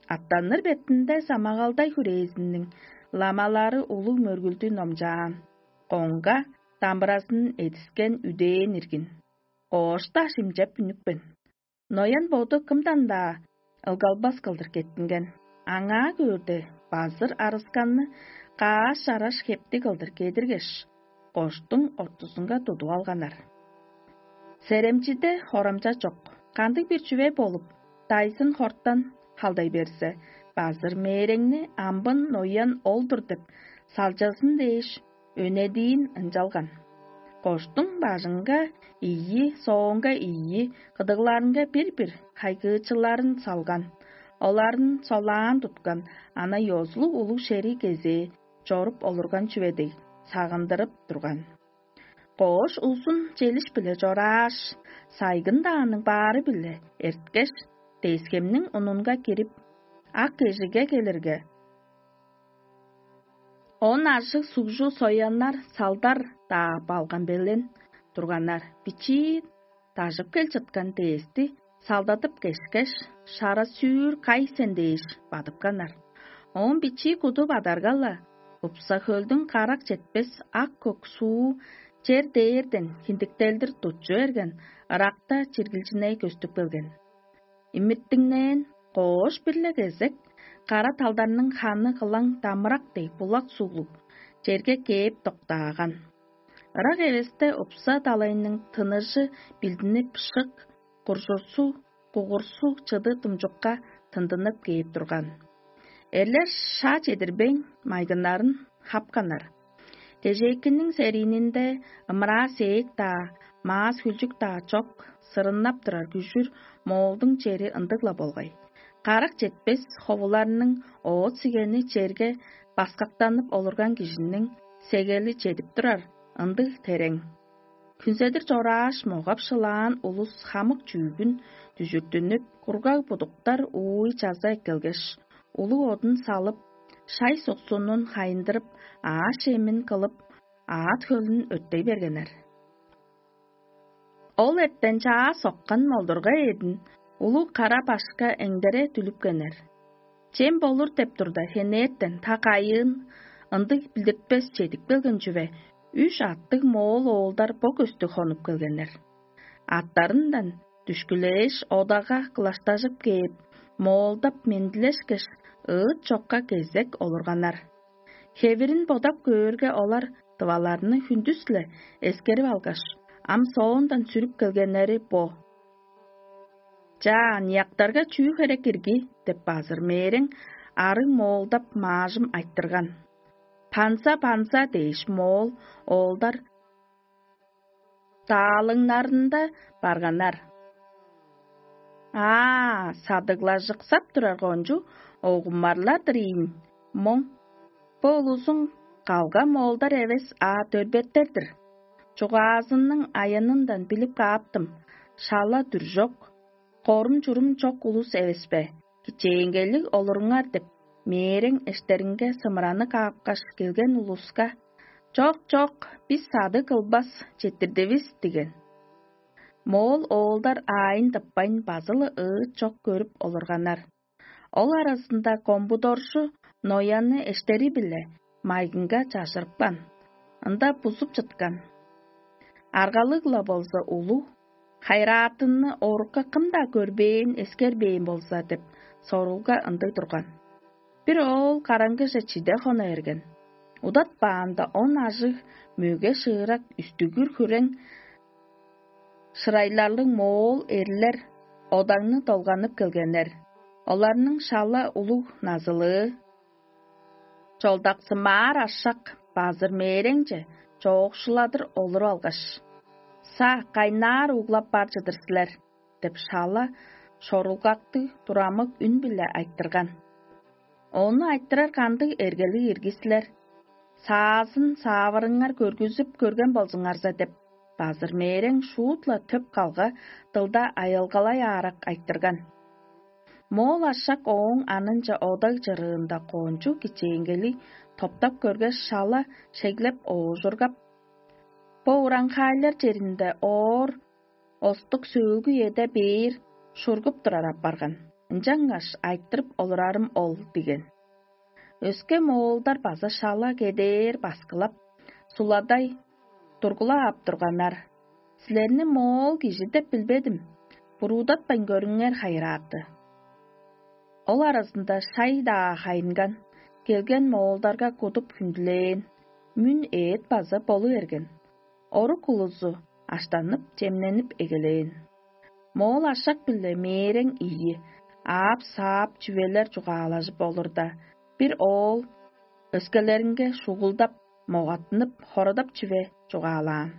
Аттаныр бетинде самагалдай хүрээзиниң ламалары улуг мөргүлдү номчаан, коңга дамбыразын эдискен үдээн иргин. Коошта шимчеп үнүпкен. Ноян боду кымдан-даа ылгалбас кылдыр кеттинген. Аңаа көөрде, базыр арысканны кааш-чараш хептиг кылдыр кедиргеш, коштуң ортузунга тудуп алганнар. Серемчиде хорамча чок. Кандыг-бир чүве болуп, дайзын хортан халдай берзе, базыр мээреңни амбын Ноян ол-дур деп салчазын дээш, өнедиин ынчалган. Коштуң бажыңга ийи, соонга ийи, кыдыгларынга бир-бир хайгыычыларын салган. Оларын солаан туткан, ана ёзулуг улуг шериг кезээ чоруп олурган чүве дег, сагындырып турган. Коош узун челиш-биле чорааш, сайгын-дааның баары-биле эрткеш, дескемниң унунга кирип, ак кежиге келирге, он ажыг сугжу сояннар салдар-даа балган белен турганнар. Бичии дажып кел чыткан дээсти салдадып кешкеш, шара-сүүр кай сен дээш бадыпканнар. Оон бичии куду бадарга-ла, Упса-хөлдүң карак четпес ак-көк суу чер дээрден хиндиктелдир тутчу берген, ыракта чиргилчиней көстүп келген. Имиттиңнээн, коош бир-ле кезек кара талдарның ханы кылаң дамырак дег булак суглуг черге кээп доктааган. Ырак эвесте упса далайның тыныжы билдинип, шык, куржурсу, кугурсу чыды думчукка тындынып кээп турган. Эрлер шаа чедирбейн, майгыннарын хапканнар. Кежээкинниң сериининде ымыраа сээк-даа, маас хүлчүк-даа чок, сырыннап турар күжүр моолдуң чери ындыг-ла болгай. Карак четпес ховуларның оът-сигени черге баскактанып олурган кижиниң сегели чедип турар ындыг терең. Хүнзедир чорааш, могап-шылаан улус хамык чүүгүн дүжүртүнүп, кургаг будуктар ууй чаза эккелгеш, улуг одун салып, шай суксунун хайындырып, аъш-чемин кылып, аът-хөлүн өрттей бергеннер. Ол эртен чаа соккан молдурга эъдин улуг кара башка эңдере дүлүпкеннер. Чем болур деп турда, хенертен та кайыын ындыг билдиртпес чедип келген чүве, үш аттыг моол оолдар бо көстү хонуп келгеннер. Аттарындан дүшкүлээш, одага кылаштажып кээп, моолдап мендилешкеш, ыыт чокка кезек олурганнар. Хевирин бодап көөрге, олар тываларны хүндүс-ле эскерип алгаш, ам соондан сүрүп келгеннери бо. «Чаа, аныяктарга чүү херек ирги?» — деп базыр мээрең арыг моолдап маажым айтырган. «Панза, панза!» — дээш, моол оолдар даалыңнарында барганнар. Аа, садыглажыксап турар кончуг огуммарлар-дыр ийин моң. Бо улузуң калга моолдар эвес, а дөрбеттер-дир. Чугаазының аянындан билип кааптым: шала дүр чок, корум-чурум чок улус эвес бе? Кичээнгейлиг олуруңар деп, мээрең эштеринге сымыраны каапкаш келген улуска: «Чок, чок, бис садыг кылбас, четтирдивис» диген. Моол оолдар аайын тыппайн базы-ла ыыт чок көрүп олурганнар. Ол аразында комбудоржу Нояны эштери-биле майгынга чажырыпкан, ында бузуп чыткан. Аргалыг-ла болза улуг, хайыраатынны орукка кым-даа көрбээн, эскербээн болза деп, сорулга ындыг турган. Бир оол караңгыже чиде хона берген. Удатпаанда он ажыг мөге шыырак үстүгүр хүрең шырайларлыг моол эрлер одаңны долганып келгеннер. Оларның шала улуг назылыы чолдаксымаар ашак базыр мээреңче чоокшуладыр олуруп алгаш: «Са, кайнаар углап бар чыдыр силер?» — деп, шала шорулгактыг, турамык үн-биле айтырган. Ону айтырар кандыг эргелиг ирги силер? Саазын саавырыңар көргүзүп көрген болзуңарза деп, базыр мээрең шуут-ла төп калга дылда айылгалай аарак айтырган. Моол ашак ооң анынча одаг чырыында кончуг кичээнгели топтап көргеш, шала шеглеп оожургап: «Бо ураңхаайлар черинде оор остук сөөлгү эде бээр шургуп турар апарган, ынчангаш айтырып олурарым ол» — диген. Өске моолдар база шала кедээр баскылап, суладай тургула ап турганнар: «Силерни моол кижи деп билбедим, буруудатпайн көрүңер, хайырааты». Ол аразында шай-даа хайынган, келген моолдарга кудуп хүндүлээн, мүн эът база болу берген. Орук улузу аштанып, чемненип эгелээн. Моол ашак-биле мээрең ийи, аап-саап чүвелер чугаалажып олурда, бир оол өскелеринге шугулдап, могаттынып, хорадап чүве чугаалаан.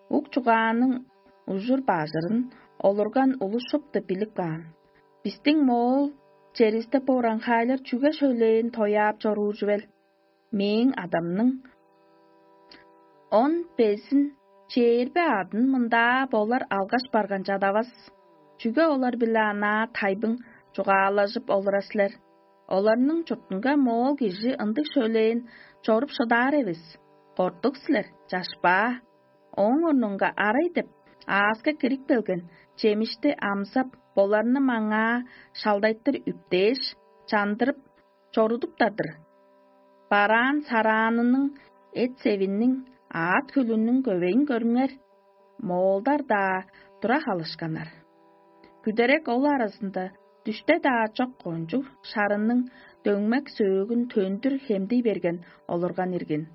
Ук чугааның ужур-бажырын олурган улус шупту билип каан: «Бистиң моол черивисте бо ураңхаайлар чүге шөлээн тояап чоруур чүвел? Мээң адамның он безин чээрби адын мындаа болар алгаш барган чадавас. Чүге олар-биле анаа тайбың чугаалажып олура силер? Оларның чуртунга моол кижи ындыг шөлээн чоруп шыдаар эвес. Кортук силер, чашпаа». Ооң орнунга арай деп ааска кирип келген чемишти амзап, боларны маңаа шалдайтыр үптээш, чандырып чорудуптар-дыр. Бараан-сараанының, эт-севинниң, аът-хөлүнүң көвейин көрүңер. Моолдар-даа тура халышканнар. Күдерек ол аразында дүште-даа чок кончуг шарынның дөңмек сөөгүн төндүр хемдий берген олурган иргин.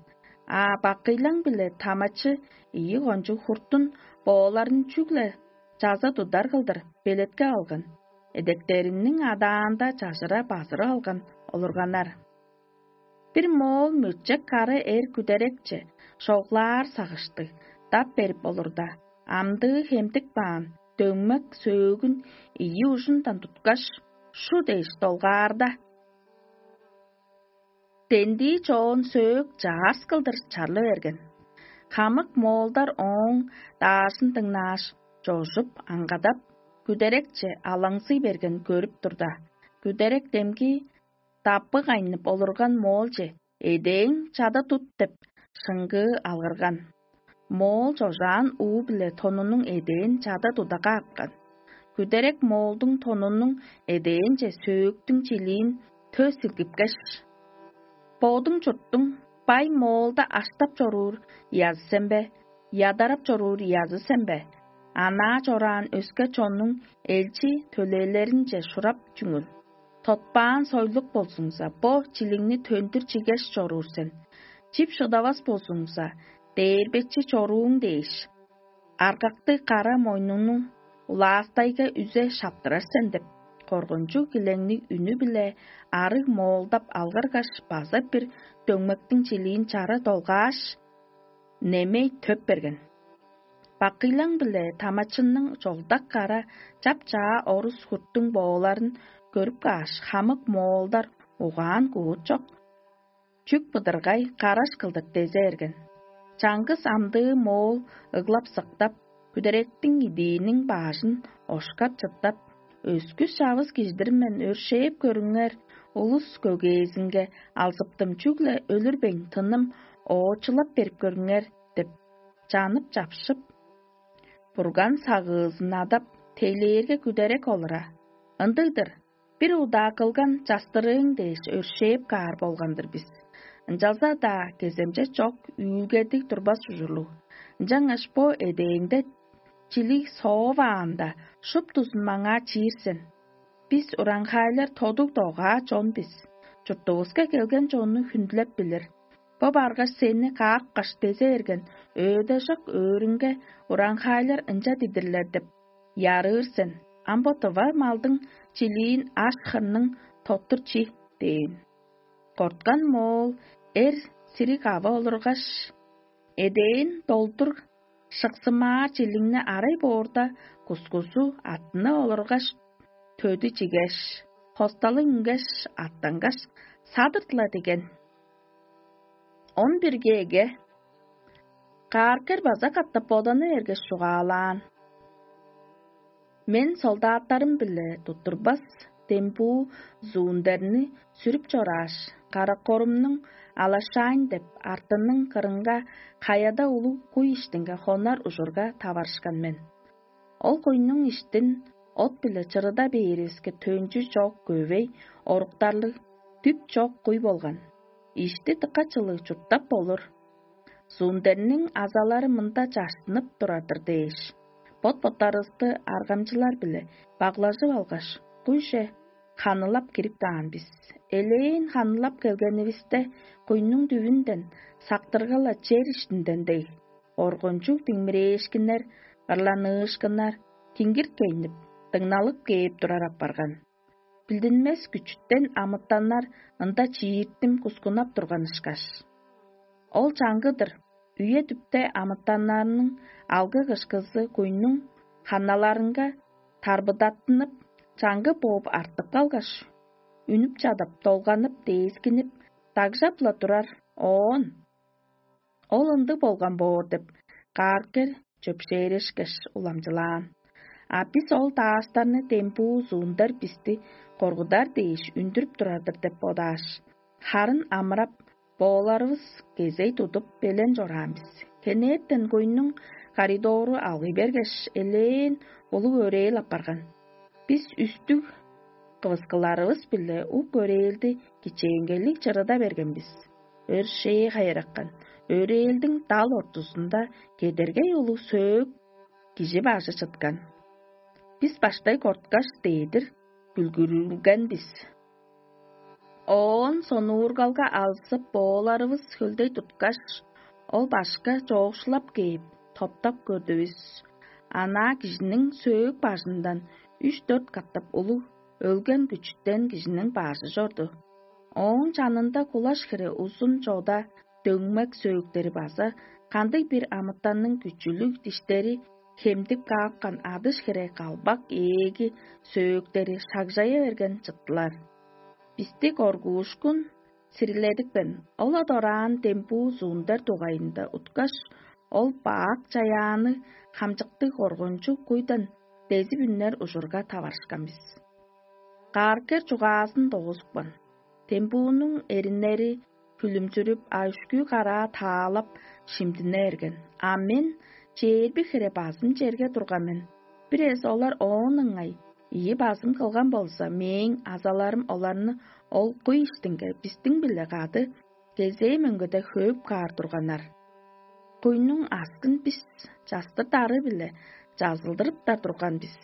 А бакыйлаң-биле тамачы ийи кончуг хуртун бооларын чүгле чаза тудар кылдыр белетке алган, эдектериниң адаанда чажыра базырып алган олурганнар. Бир моол мөчек кара эр күдерекче шоглаар сагыштыг дап берип олурда, амдыы хемдик баан дөңмек сөөгүн ийи ужундан туткаш, шу дээш долгаарда, дендии чоон сөөк чаарс кылдыр чарлы берген. Хамык моолдар ооң даажын дыңнааш, чожуп, аңгадап, күдерекче алаңзый берген көрүп турда, күдерек демги даппы кайнып олурган моолче: «Эдээң чада тут» — деп, шыңгыы алгырган. Моол чожаан уу-биле тонунуң эдээн чада тудага апкан. Күдерек моолдуң тонунуң эдээнче сөөктүң чилиин тө силгипкеш: «Бодуң чурттуң бай моолда аштап чоруур ыязы сен бе, ядарап чоруур ыязы сен бе? Анаа чораан өске чоннуң элчи төлээлеринче шурап чүңүл. Тотпаан сойлук болзуңза, бо чилиңни төндүр чигеш чоруур сен. Чип шыдавас болзуңза, дээрбечи чорууң дээш, аргакты кара мойнуңнуң улаастайга үзе шаптырар сен» — деп, коргунчуг килеңниг үнү-биле арыг моолдап алгыргаш, база бир дөңмектиң чилиин чара долгааш, немей төп берген. Бакыйлаң-биле тамачынның чолдак кара чап-чаа орус хурттуң бооларын көрүп кааш, хамык моолдар угаан куут чок. Чүк быдыргай караш кылдыр дезе берген. Чаңгыс амдыы моол ыглап-сыктап, хүдеректиң идииниң баажын ошкап-чыттап, өскүс-чавыс кижидир мен өршээп көрүңер, улус көгезинге алзыптым чүгле өлүрбейн тыным оочулап берип көрүңер деп, чанып-чапшып, бурган сагыызын адап, тейлээрге күдерек олура. Ындыг-дыр, бир удаа кылган частырыың дээш өршээп каар болган-дыр бис. Ынчалза-даа кеземче чок үүлгедиг турбас ужурлуг. Ынчангаш бо эдээнде чилиг сооваанда, шуптузун маңаа чиир сен. Бис ураңхайлар тодуг догаа чон бис. Чуртувуска келген чонну хүндүлеп билир. Бо баргаш сени каапкаш дезе берген өөдежок өөрүнге ураңхайлар ынча дидирлер деп ярыыр сен. Ам бо тыва малдың чилиин аш хырның тоттур чи дээн. Корткан моол эр сириг ава олургаш, эдээн долдур шыксымаар чилиңни арай боорда, кускузу аттына олургаш, төдү чигеш, хосталы үнгеш, аттангаш, садыртыла деген. Он бирге эге кааркер база катап боданы эргеш чугаалаан. Мен солдаттарым-биле туттурбас дембуу зуундерни сүрүп чорааш, каракорумнуң алашаайн деп артының кырынга каяда улуг куй иштинге хонар ужурга таварышкан мен. Ол куйнуң иштин от-биле чырыда бээривиске төнчү чок көвей оруктарлыг дүп чок куй болган. Ишти дыка чылыг чурттап болур. Зундерниң азалары мында чаштынып турар-дыр дээш, бот-боттарывысты аргамчылар-биле баглажып алгаш, куйже ханылап кирип каан бис. Элээн ханылап келгенивисте, куйнуң дүвүнден сактыргала чер иштинден дег, оргунчуг диңмирээшкиннер, ырланыышкыннар, киңгирт кейнип, дыңналып кээп турар апарган. Билдинмес күчүттен амытаннар ында чииртим кускунап турган ышкаш. Ол чаңгы-дыр, үе-дүпте амытаннарның алгы-кышкызы куйнуң ханналарынга тарбыдаттынып, чаңгы бооп артып калгаш, үнүп чадап, долганып, дээскинип, дагжап-ла турар. Оон: «Ол ындыг болган боор» – деп, кааргер чөпшээрешкеш, уламчылаан. А бис ол даастарны дембуу зуундар бисти коргудар дээш үндүрүп турар-дыр деп бодааш, харын амырап, бооларывыс кезей тудуп, белен чораан бис. Хенертен куйнуң коридору алгый бергеш, элээн улуг өрээл апарган. Бис үстүг кывыскыларывыс-биле ук өрээлди кичээнгейлиг чырыда берген бис. Өршээ хайыраккан, өрээлдиң дал ортузунда кедергей улуг сөөк кижи бажы чыткан. Бис баштай корткаш, дээдир бүлгүрүлген бис. Оон сонуургалга алзып, бооларывыс хөлдей туткаш, ол башка чоокшулап кээп, топтап көрдүвүс. Анаа кижиниң сөөк бажындан үш-дөрт катап улуг өлген күчүтен кижиниң бажы чорду. Ооң чанында кулаш хире узун чода дөңмек сөөктери база кандыг-бир амытанның күчүлүг диштери хемдип каапкан адыш хире калбак ээги сөөктери шагжая берген чыттылар. Бисти коргуушкун сириледипкен, ол-ла дораан дембуу зуундар дугайында уткаш, ол бак чаяаны хамчыктыг коргунчуг куйдан дезип үнер ужурга таварышкан бис. Кааргер чугаазын догузупкан. Дембуунуң эриннери хүлүмчүрүп, а үшкүү караа таалап, шимдине берген. А мен чээрби хире базым черге турган мен. Бир эвес олар оон ыңай ийи базым кылган болза, мээң азаларым оларны ол куй иштинге бистиң-биле кады кезээ мөңгеде хөөп каар турганнар. Куйнуң аскын бис частыр дары-биле чазылдырыптар турган бис.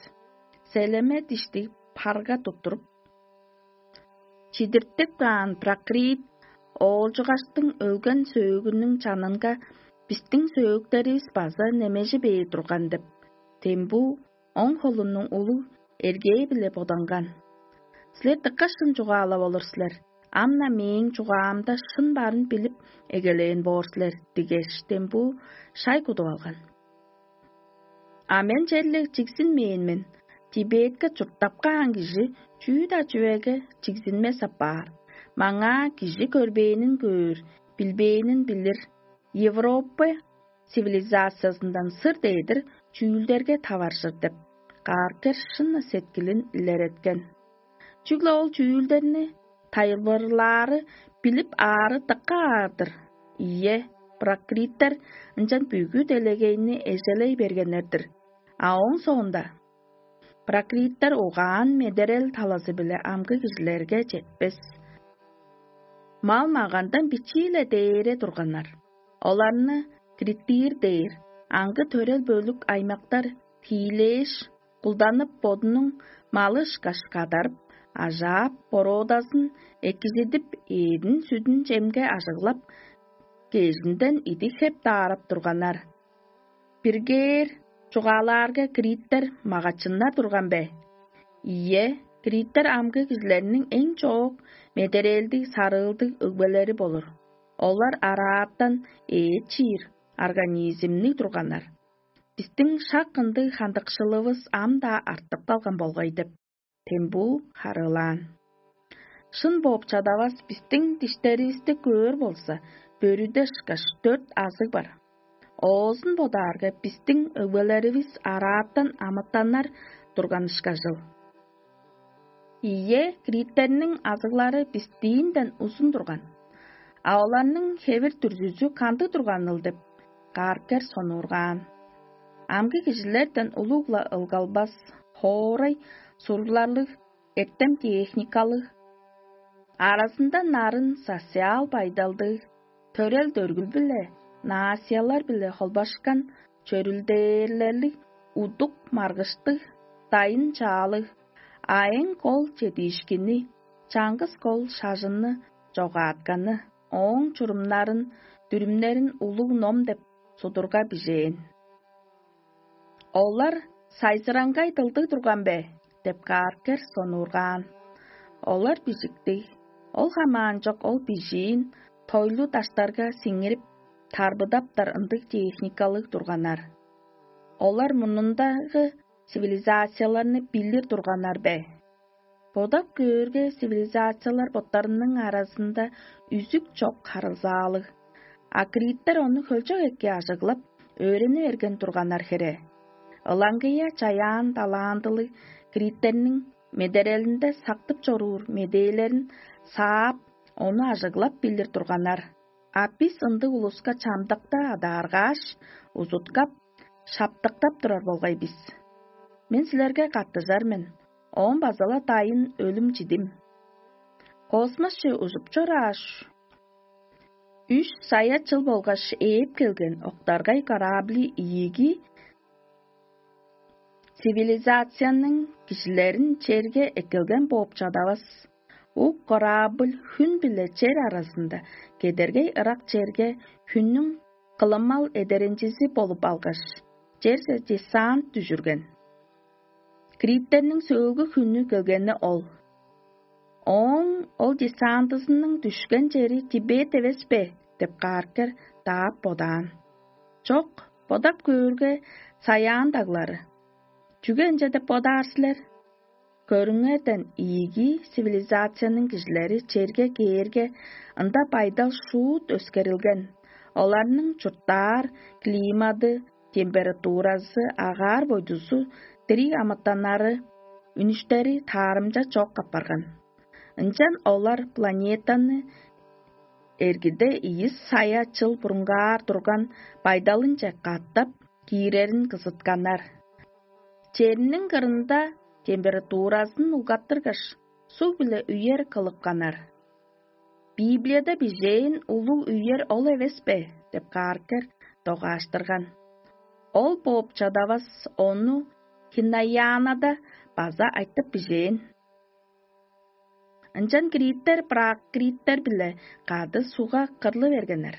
Селеме диштиг парга туттуруп, чидиртип каан пракрит оолчугаштың өлген сөөгүнүң чанынга бистиң сөөктеривис база немежи бээр турган деп, дембуу оң холунуң улуг эргээ-биле боданган. «Силер дыка шын чугаалап олур силер. Ам-на мээң чугаамда шын барын билип эгелээн боор силер» – дигеш, дембуу шай кудуп алган. А мен черле чигзинмээн мен. Тибетке чурттап каан кижи чүү-даа чүвеге чигзинмес апаар. Маңаа кижи көрбээнин көөр, билбээнин билир. Европа цивилизациязындан сыр дээдир чүүлдерге таваржыр деп, Каркер шын сеткилин илереткен. Чүгле ол чүүлдерни тайылбырлаары билип аары дыка аар-дыр. Ийе, пракриттер ынчан бүгү делегейни эжелей бергеннер-дир. А ооң соонда пракриттер угаан медерел талазы-биле амгы кижилерге четпес. Мал-магандан бичии-ле дээре турганнар. Оларны криттир дээр, аңгы төрел бөлүк аймактар тиилээш, кулданып, бодунуң малы ышкаш кадарып, ажаап, бороодазын экижидип, эъдин-сүдүн чемге ажыглап, кежинден идик хеп даарап турганнар. Биргээр чугаалаарга, криттер магачыннар турган бе? Ийе, криттер амгы кижилерниң эң чоок медерээлдиг, сарыылдыг өгбелери болур. Олар арааттан ээт чиир организмниг турганнар. Бистиң шак ындыг хандыкшылывыс ам-даа артып калган болгай деп, Тембу харыылаан. Шын бооп чадавас бистиң диштеривисти көөр болза, бөрүде ышкаш дөрт азыг бар. Оозун бодаарга, бистиң өгбелеривис арааттан амытаннар турган ышкажыл. Ийе, криттерниң азыглары бистиинден узун турган. А оларның хевир-дүрзүзү кандыг турганыл деп, Каркер сонуургаан. Амгы кижилерден улуг-ла ылгалбас, хоорай сурларлыг, эртем-техникалыг, аразында нарын социал байдалдыг, төрел-дөргүл-биле, наасиялар-биле холбашкан чөрүлдээрлерлиг, удук-маргыштыг, дайын-чаалыг, а эң кол чедиишкини, чаңгыс кол шажынны чогаатканы, ооң чурумнарын, дүрүмнерин улуг ном деп судурга бижээн. Олар сайзыраңгай дылдыг турган бе? Деп Каркер сонуургаан. Олар бижиктиг. Ол хамаанчок ол бижиин тойлу даштарга сиңирип, тарбыдаптар ындыг техникалыг турганнар. Олар мурнундагы цивилизацияларны билир турганнар бе? Бодап көөрге, цивилизациялар боттарының аразында үзүк чок харылзаалыг. А криттер ону хөлчок эки ажыглап, өөрени берген турганнар хере. Ылаңгыя чаяан талаандылыг криттерниң медерелинде сактып чоруур медээлерин саап, ону ажыглап билир турганнар. А бис ындыг улуска чамдыкта адааргааш, узуткап, шаптыктап турар болгай бис. Мен силерге каттыжар мен, оон база-ла дайын өлүм чидим. Космосче ужуп чорааш, үш сая чыл болгаш ээп келген октаргай корабли ийиги цивилизацияның кижилерин черге эккелген бооп чадавас. Ук корабль хүн биле чер аразында кедергей ырак черге хүннүң кылымал эдеренчизи болуп алгаш, черже десант дүжүрген. Криттерниң сөөлгү хүннү келгени ол. Ооң ол десантызының дүшкен чери Тибет эвес бе? Деп Каркер даап бодаан. Чок, бодап көөрге, саяан даглары. Чүге ынча деп бодаар силер? Көрүңерден, ийиги цивилизацияның кижилери черге кээрге, ында байдал шуут өскерилген. Оларның чурттаар климаты, температуразы, агаар бойдузу, дириг амытаннары, үнүштери таарымча чок апарган. Ынчан олар планетаны эргиде ийи сая чыл бурунгаар турган байдалынче катап киирерин кызытканнар. Черниң кырында температуразын улгаттыргаш, суг-биле үер кылыпканнар. Библияда бижээн улуг үер ол эвес бе? Деп Каркер догааштырган. Ол бооп чадавас, ону Хинаянада база айтып бижээн. Ынчан криттер пракриттер-биле кады сугга кырлы бергеннер.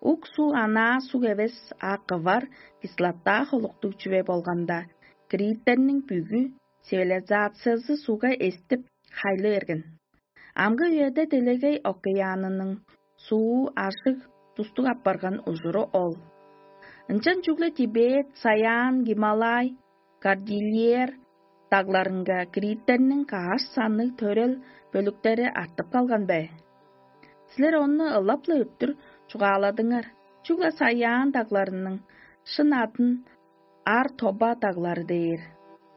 Ук суу анаа суг эвес, а кывар кислота холуктуг чүве болганда, криттерниң бүгү цивилизациязы сугга эстип, хайлы берген. Амгы үеде делегей океанының суу ажыг тустуг апарган ужуру ол. Ынчан чүгле Тибет, Саян, Гималай, Кордильер дагларынга крииттерниң каш санныг төрел бөлүктери артып калган бе? Силер ону ылап-ла өттүр чугааладыңар, чүгле Саян дагларының шын адын Ар-Тоба даглары дээр.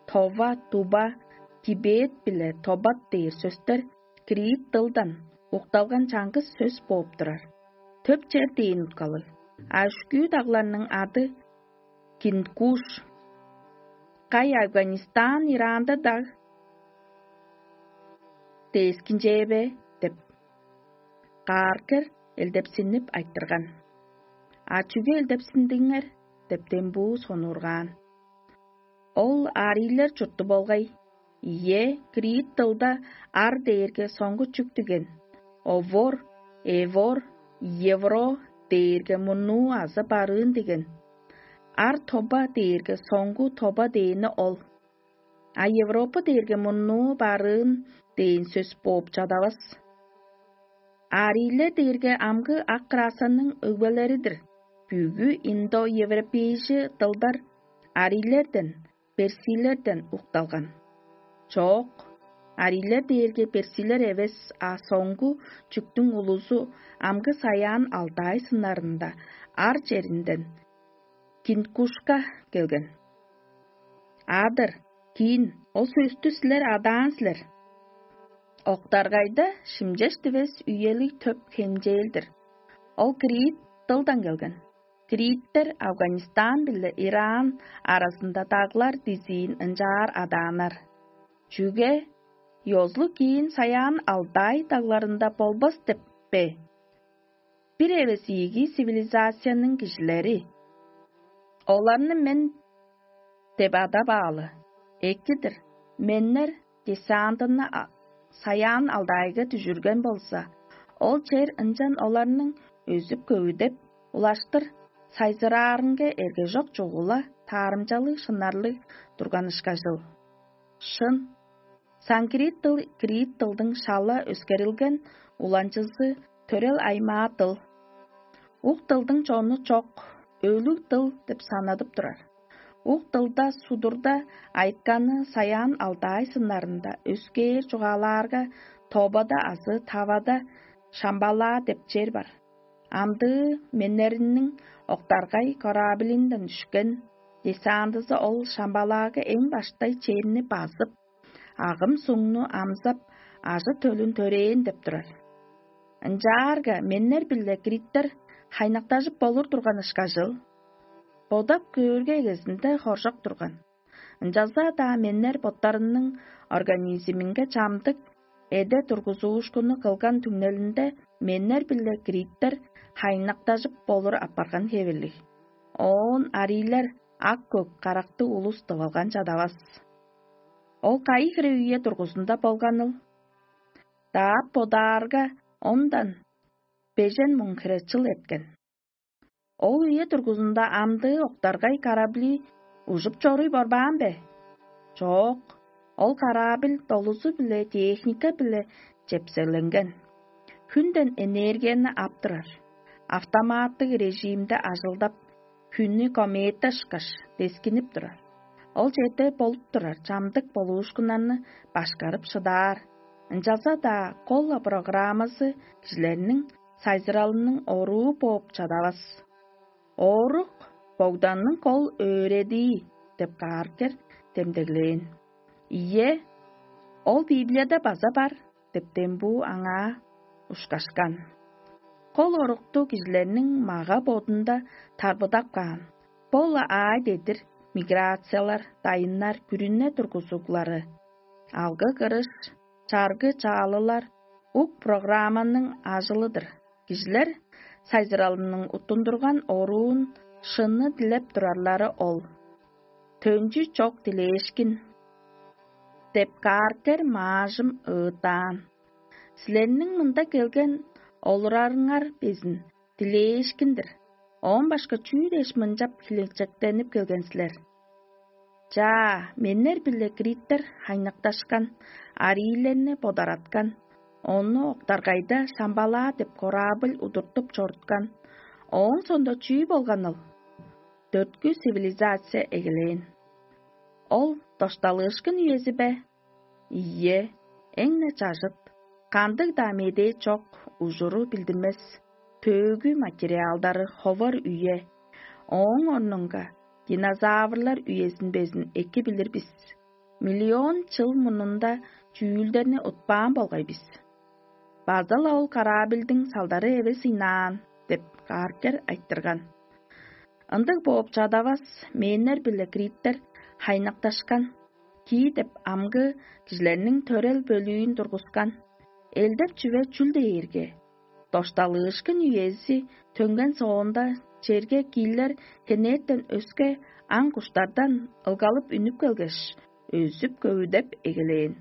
Това, Туба, Тибет биле Тобат дээр сөстер криит дылдан укталган чаңгыс сөс бооп турар. Төп чер дээн уткалыг. А үшкүү дагларның ады Кинкуш. Кай Афганистан, Иранда даг дээскинчээ бе деп Кааркер элдепсинип айтырган. А чүге элдепсиндиңер деп Дембуу сонуургаан. Ол арийлер чурту болгай. Ийе, криит дылда ар дээрге соңгу чүк диген. Овор, эвор, евро дээрге мурнуу азы барыын диген. Ар тоба дээрге соңгу тоба дээни ол. А Европа дээрге мурнуу барыын дээн сөс бооп чадавас. Арийлер дээрге амгы ак расаның өгбелери-дир. Бүгү индоевропейжи дылдар арийлерден, персилерден укталган. Чоок, арийлер дээрге персилер эвес, а соңгу чүктүң улузу амгы Саян Алтай сыннарында ар черинден Кинкушка келген. Адыр, киин, ол сөстү силер адаан силер. Октаргайда шимчеш дивес үелиг төп хемчээлдир. Ол Крит дылдан келген. Криттер Афганистан биле Иран аразында даглар дизиин ынчаар адааннар. Чүге? Ёзулуг киин Саян Алдай дагларында болбас деп бе? Бир эвес ийиги цивилизацияның кижилери. Оларны мен деп адап аалы. Эки-дир. Меннер десантыны Саян Алдайга дүжүрген болза, ол чер ынчан оларның өзүп-көвүдеп, улаштыр сайзыраарынга эргежок чугула таарымчалыг шынарлыг турган ышкажыл. Шын, санкрит дыл крит дылдың шала өскерилген уланчызы, төрел аймаа дыл. Ук дылдың чону чок, өлүг дыл деп санадып турар. Ук дылда судурда айытканы Саян Алдай сыннарында өскээр чугаалаарга, тобада азы тавада шамбалаа деп чер бар. Амдыы меннеринниң октаргай кораблинден үшкен десантызы ол шамбалаага эң баштай черни базып, агым суңну амзап, ажы-төлүн төрээн деп турар. Ынчаарга меннер биле криттер хайнактажып болур турган ышкажыл. Бодап көөрге эгезинде хоржок турган. Ынчалза-даа меннер боттарының организминге чамдык эде тургузуушкунну кылган түңнелинде меннер биле криттер хайнактажып болур апарган хевирлиг. Оон арийлер ак-көк карактыг улус тывылган чадавас. Ол кайы хире үе тургузунда болганыл? Даап бодаарга, ондан бежен муң хире чыл эрткен. Ол үе тургузунда амдыы октаргай карабли ужуп чоруй борбаан бе? Чоок, ол карабил долузу-биле техника-биле чепселенген. Хүнден энергияны ап турар. Автоматтыг режимде ажылдап, хүннү комета ышкаш дескинип турар. Ол черде болуп турар чамдык болуушкуннарны башкарып шыдаар. Ынчалза-даа кол-ла программазы кижилерниң сайзыралының оруу бооп чадавас. Оорук Богданның кол өөредии деп Кааркер демдеглээн. Ийе, ол Библияда база бар деп Дембуу аңаа ушкашкан. Кол орукту кижилерниң мага-бодунда тарбыдап каан. Бо-ла аай дедир миграциялар, дайыннар, күрүне тургузуглары, алгы-кырыш, чаргы-чаалылар ук программаның ажылы-дыр. Кижилер сайзыралының уттундурган оруун шынны дилеп турарлары ол. Төнчү чок дилээшкин деп Кааркер маажым ыыттаан. Силерниң мында келген олурарыңар безин дилээшкин-дир. Оон башка чүү дээш мынчап хилинчектенип келген силер? Чаа, меннер биле криттер хайнакташкан, ариилерни бодараткан, ону октаргайда шамбалаа деп корабль удуртуп чоруткан. Ооң соонда чүү болганыл? дөрткү цивилизация эгелээн. Ол дошталыышкын үези бе? Ийе, эң-не чажыт, кандыг-даа медээ чок, ужуру билдинмес, төөгү материалдары ховар үе. Ооң орнунга динозаврлар үезин безин эки билир бис. Миллион чыл мурнунда чүүлдерни утпаан болгай бис. База-ла ол корабльдиң салдары эвес ыйнаан деп Каркер айтырган. Ындыг бооп чадавас, мэннер биле криттер хайнакташкан, кии деп амгы кижилерниң төрел бөлүүн тургускан. Элдеп чүве чүл дээрге, дошталыышкын үези төнген соонда черге киилер хенээттен өске аң куштардан ылгалып үнүп келгеш, өзүп көвүдеп эгелээн.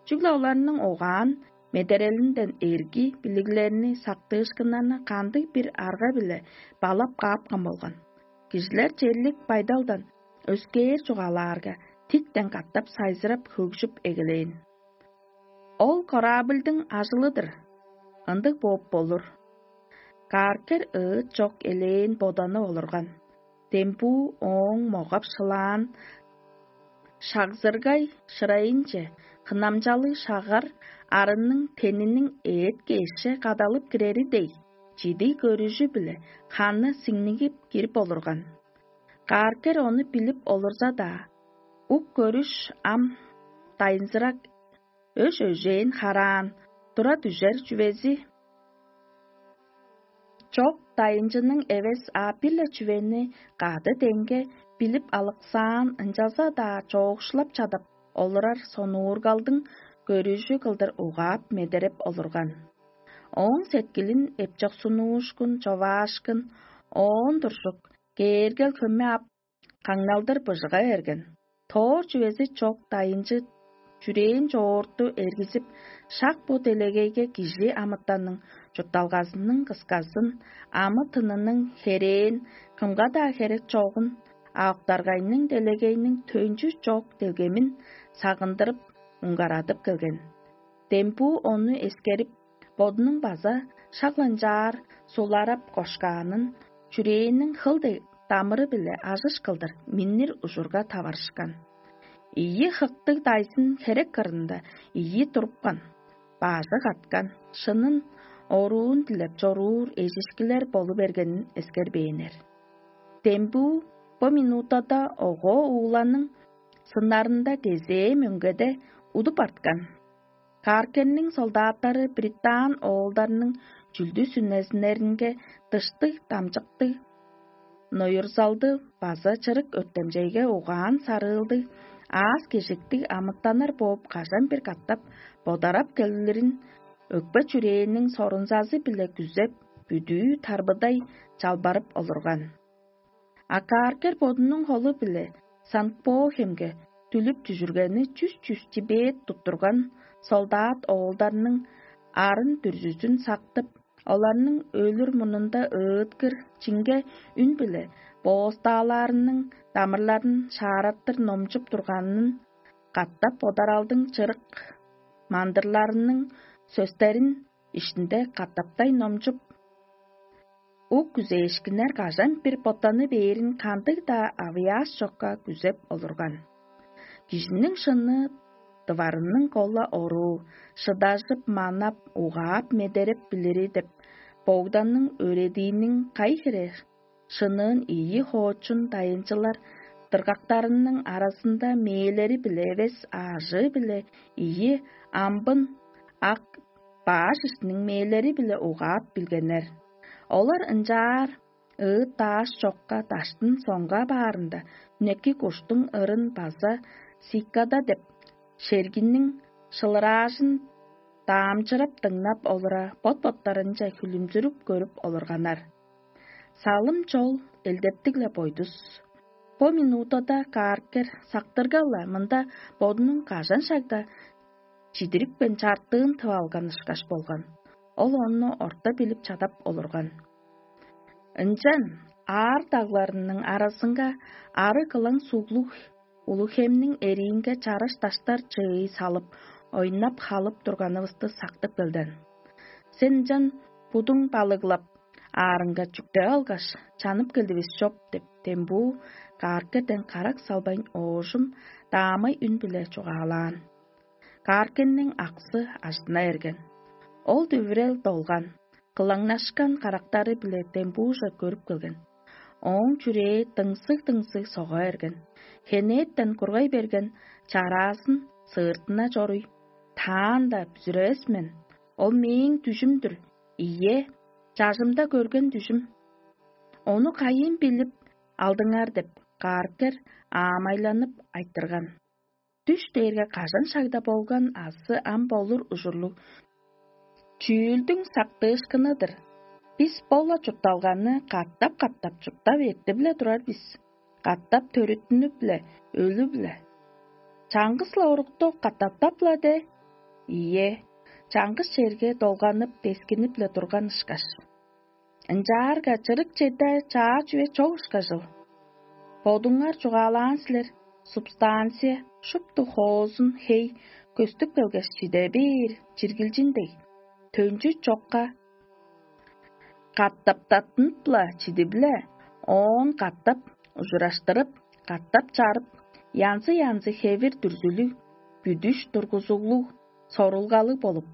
Чүгле оларның угаан медерелинден эрги билиглерни сактыышкыннарны кандыг бир арга-биле балап каапкан болган. Кижилер черлик байдалдан өскээр чугаалаарга, тиктен катап сайзырап хөгжүп эгелээн. Ол корабльдың ажылы-дыр. Ындыг бооп болур. Каркер ыыт чок элээн боданы олурган. Дембуу ооң могап шылаан шагзыргай шырайынче хынамчалыг шагар арынның тениниң эът-кешче кадалып кирери дег, чидиг көрүжү-биле ханы сиңнигип кирип олурган. Каркер ону билип олурза-даа, ук көрүш ам дайынзырак, өш-өжээн хараан, тура дүжер чүвези чок дайынчының эвес, а бир-ле чүвени кады деңге билип алыксаан, ынчалза-даа чоокшулап чадап олурар сонуургалдың көрүжү кылдыр угаап медереп олурган. Ооң сеткилин эпчок сунуушкун, човаашкын, оон туржук, кээргел хөме ап, каңналдыр быжыга берген. Тоор чүвези чок дайынчы чүрээн чоорту эргизип, шак бо делегейге кижи амытанның чуртталгазының кысказын, амы-тынының херээн, кымга-даа херек чогун, а октаргайның делегейниң төнчү чок делгемин сагындырып, уңгарадып келген. Дембуу ону эскерип, бодунуң база шак-ла ынчаар суларап кошкаанын, чүрээнниң хыл дег дамыры-биле ажыш кылдыр миннир ужурга таварышкан. Ийи хыктыг дайзын херек кырында ийи турупкан, бажы каткан, шынын оруун дилеп чоруур эжишкилер болу бергенин эскербээннер. Дембүү бо минутада огоо ууланың сыннарында кезээ мөңгеде удуп арткан. Каркерниң солдаттары британ оолдарның чүлдү-сүнезиннеринге дыштыг дамчыктыг, ноюрзалды база чырык өртемчейге угаан сарыылдыг, аас-кежиктиг амытаннар бооп кажан-бир катап бодарап келирин өкпе-чүрээнниң сорунзазы-биле күзеп, бүдүү тарбыдай чалбарып олурган. А Каркер бодунуң холу-биле Санкт-Бо хемге дүлүп дүжүргени чүс-чүс чибээт туттурган солдат оолдарның арын дүрзүзүн сактып, оларның өлүр мурнунда ыыткыр чиңге үн-биле боостаалаарының дамырларын шаараттыр номчуп турганын катап бодаралдың чырык мандырларының сөстерин иштинде катаптай номчуп, ук күзээшкиннер кажан бир боттаны бээрин кандыг-даа авыяаш чокка күзеп олурган. Кижиниң шынны дыварының кола оруу, шыдажып, манап, угаап, медереп билири деп Богданның өөредииниң кай хире шынныын ийи хоочун дайынчылар дыргактарының аразында мээлери-биле эвес, аажыы-биле ийи амбын ак баш иштиниң мээлери-биле угаап билгеннер. Олар ынчаар ыыт-дааш чокка даштын соңга баарында, үнеки куштуң ырын база сикада деп шергинниң шылыраажын даамчырап дыңнап олура, бот-боттарынче хүлүмзүрүп көрүп олурганнар. Салым чол элдептиг-ле бойдус. Бо минутада Каркер сактырга-ла мында бодунуң кажан шагда чидирипкен чартыын тып алган ышкаш болган. Ол ону орта билип чадап олурган. Ынчан аар дагларының аразынга ары кылаң суглуг улуг хемниң эриинге чараш даштар чыый салып, ойнап-халып турганывысты сактып келден. Сен ынчан будуң балыглап, аарынга чүктеп алгаш, чанып келдивис чоп» — деп, дембуу кааркерден карак салбайн оожум даамай үн-биле чугаалаан. Кааркенниң аксы ажына эрген. Ол дүвүрел долган, кылаңнашкан карактары-биле дембуужа көрүп келген. Ооң чүрээ дыңзыг-дыңзыг сога берген. Хенээттен кургай берген чараазын сыыртына чоруй: «Таанда бүзүревес мен. Ол мээң дүжүм-дүр. Ийе, чажымда көрген дүжүм. Ону кайыын билип алдыңар?» — деп, кааркер аамайланып айтырган. Дүш дээрге кажан шагда болган азы ам болур ужурлуг чүүлдүң сактыышкыны-дыр. Бис бо-ла чуртталганы катап-катап чурттап эртип-ле турар бис, катап төрүттүнүп-ле, өлүп-ле. Чаңгыс-ла урукту катаптап-ла де? Ийе, чаңгыс черге долганып, дескинип-ле турган ышкаш. Ынчаарга чырык черде чаа чүве чок ышкажыл. Бодуңар чугаалаан силер: «Субстанция шупту хоозун хей көстүп келгеш чиде бээр чиргилчин дег, төнчү чокка катаптаттынып-ла чидип-ле, оон катап ужураштырып, катап чарып, янзы-янзы хевир-дүрзүлүг, бүдүш тургузуглуг, сорулгалыг болуп,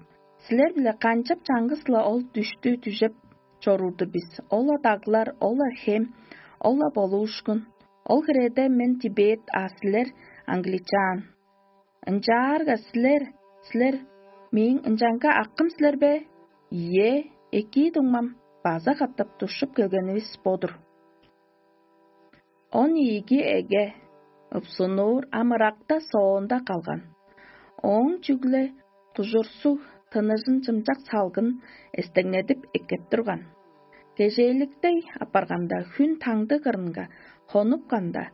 силер-биле канчап чаңгыс-ла ол дүштү дүжеп чоруур-дур бис? Ол-ла даглар, ол-ла хем, ол-ла болуушкун. Ол хиреде мен тибет, а силер англичан. Ынчаарга силер, силер мээң ынчанга акым силер бе? Ийе, экии дуңмам, база катап душчуп келгенивис бо-дур». Он ийиги эге ыпсунуур ам ыракта соонда калган. Ооң чүгле кужурсуг тыныжын чымчак салгын эстеңнедип эккеп турган. Кежээликтей апарганда, хүн таңды кырынга хонупканда,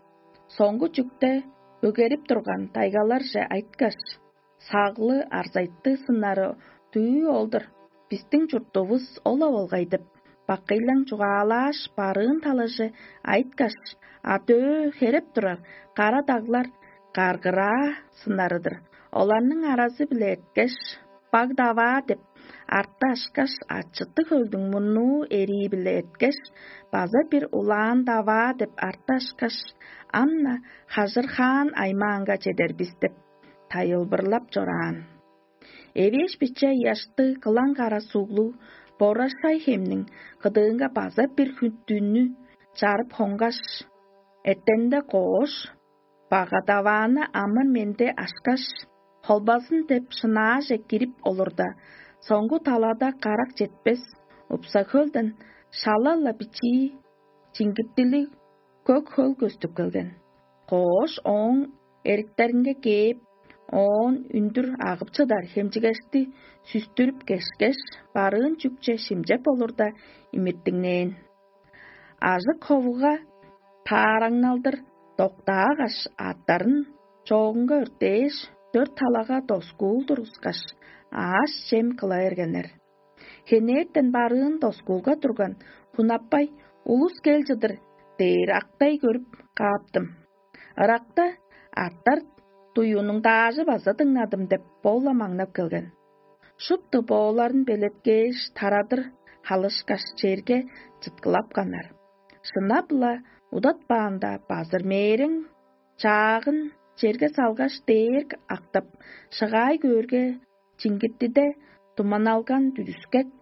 соңгу чүкте бөгерип турган тайгаларже айткаш: «Саглы, арзайтты сыннары дүү ол-дур, бистиң чуртувус ол-ла болгай» — деп, бакыйлаң чугаалааш, барыын талаже айткаш, а дөө хереп турар кара даглар каргыраа сыннары-дыр. Оларның аразы-биле эрткеш, «Баг даваа» деп арты ашкаш, ачыттыг хөлдүң мурнуу эрии-биле эрткеш, база бир улаан даваа деп арты ашкаш, ам-на хажырхаан аймаанга чедер бис деп тайылбырлап чораан. Эвээш биче ыяштыг кылаң кара суглуг Борашай хемниң кыдыынга база бир хүттүнү чарып хонгаш, эртенинде коош, багадавааны амыр-менди ашкаш, холбазын деп шынааже кирип олурда, соңгу талада карак четпес, упса хөлден шала-ла бичии, чиңгиттилиг көк хөл көстүп келген. Коош ооң эриктеринге кээп, оон үндүр агып чыдар хемчигешти сүстүрүп кешкеш, барыын чүкче шимчеп олурда, имиртиңнээн. Ажык ховуга таараңналдыр доктаагаш, аъттарын чоогунга өртээш, дөрт талага доскуул тургускаш, аъш-чем кыла бергеннер. Хенертен барыын доскуулга турган Хунаппай: «Улус кел чыдыр» — дээр актай көрүп кааптым. Ыракта «Аттар дуюнуң даажы база дыңнадым» — деп бо-ла маңнап келген. Шупту бооларын белеткээш, тарадыр халышкаш, черге чыткылапканнар. Шынап-ла удатпаанда, базыр мээрең чаагын черге салгаш, дээрг актап, шыгаай көөрге, чиңгиттиде туманалган дүрүскек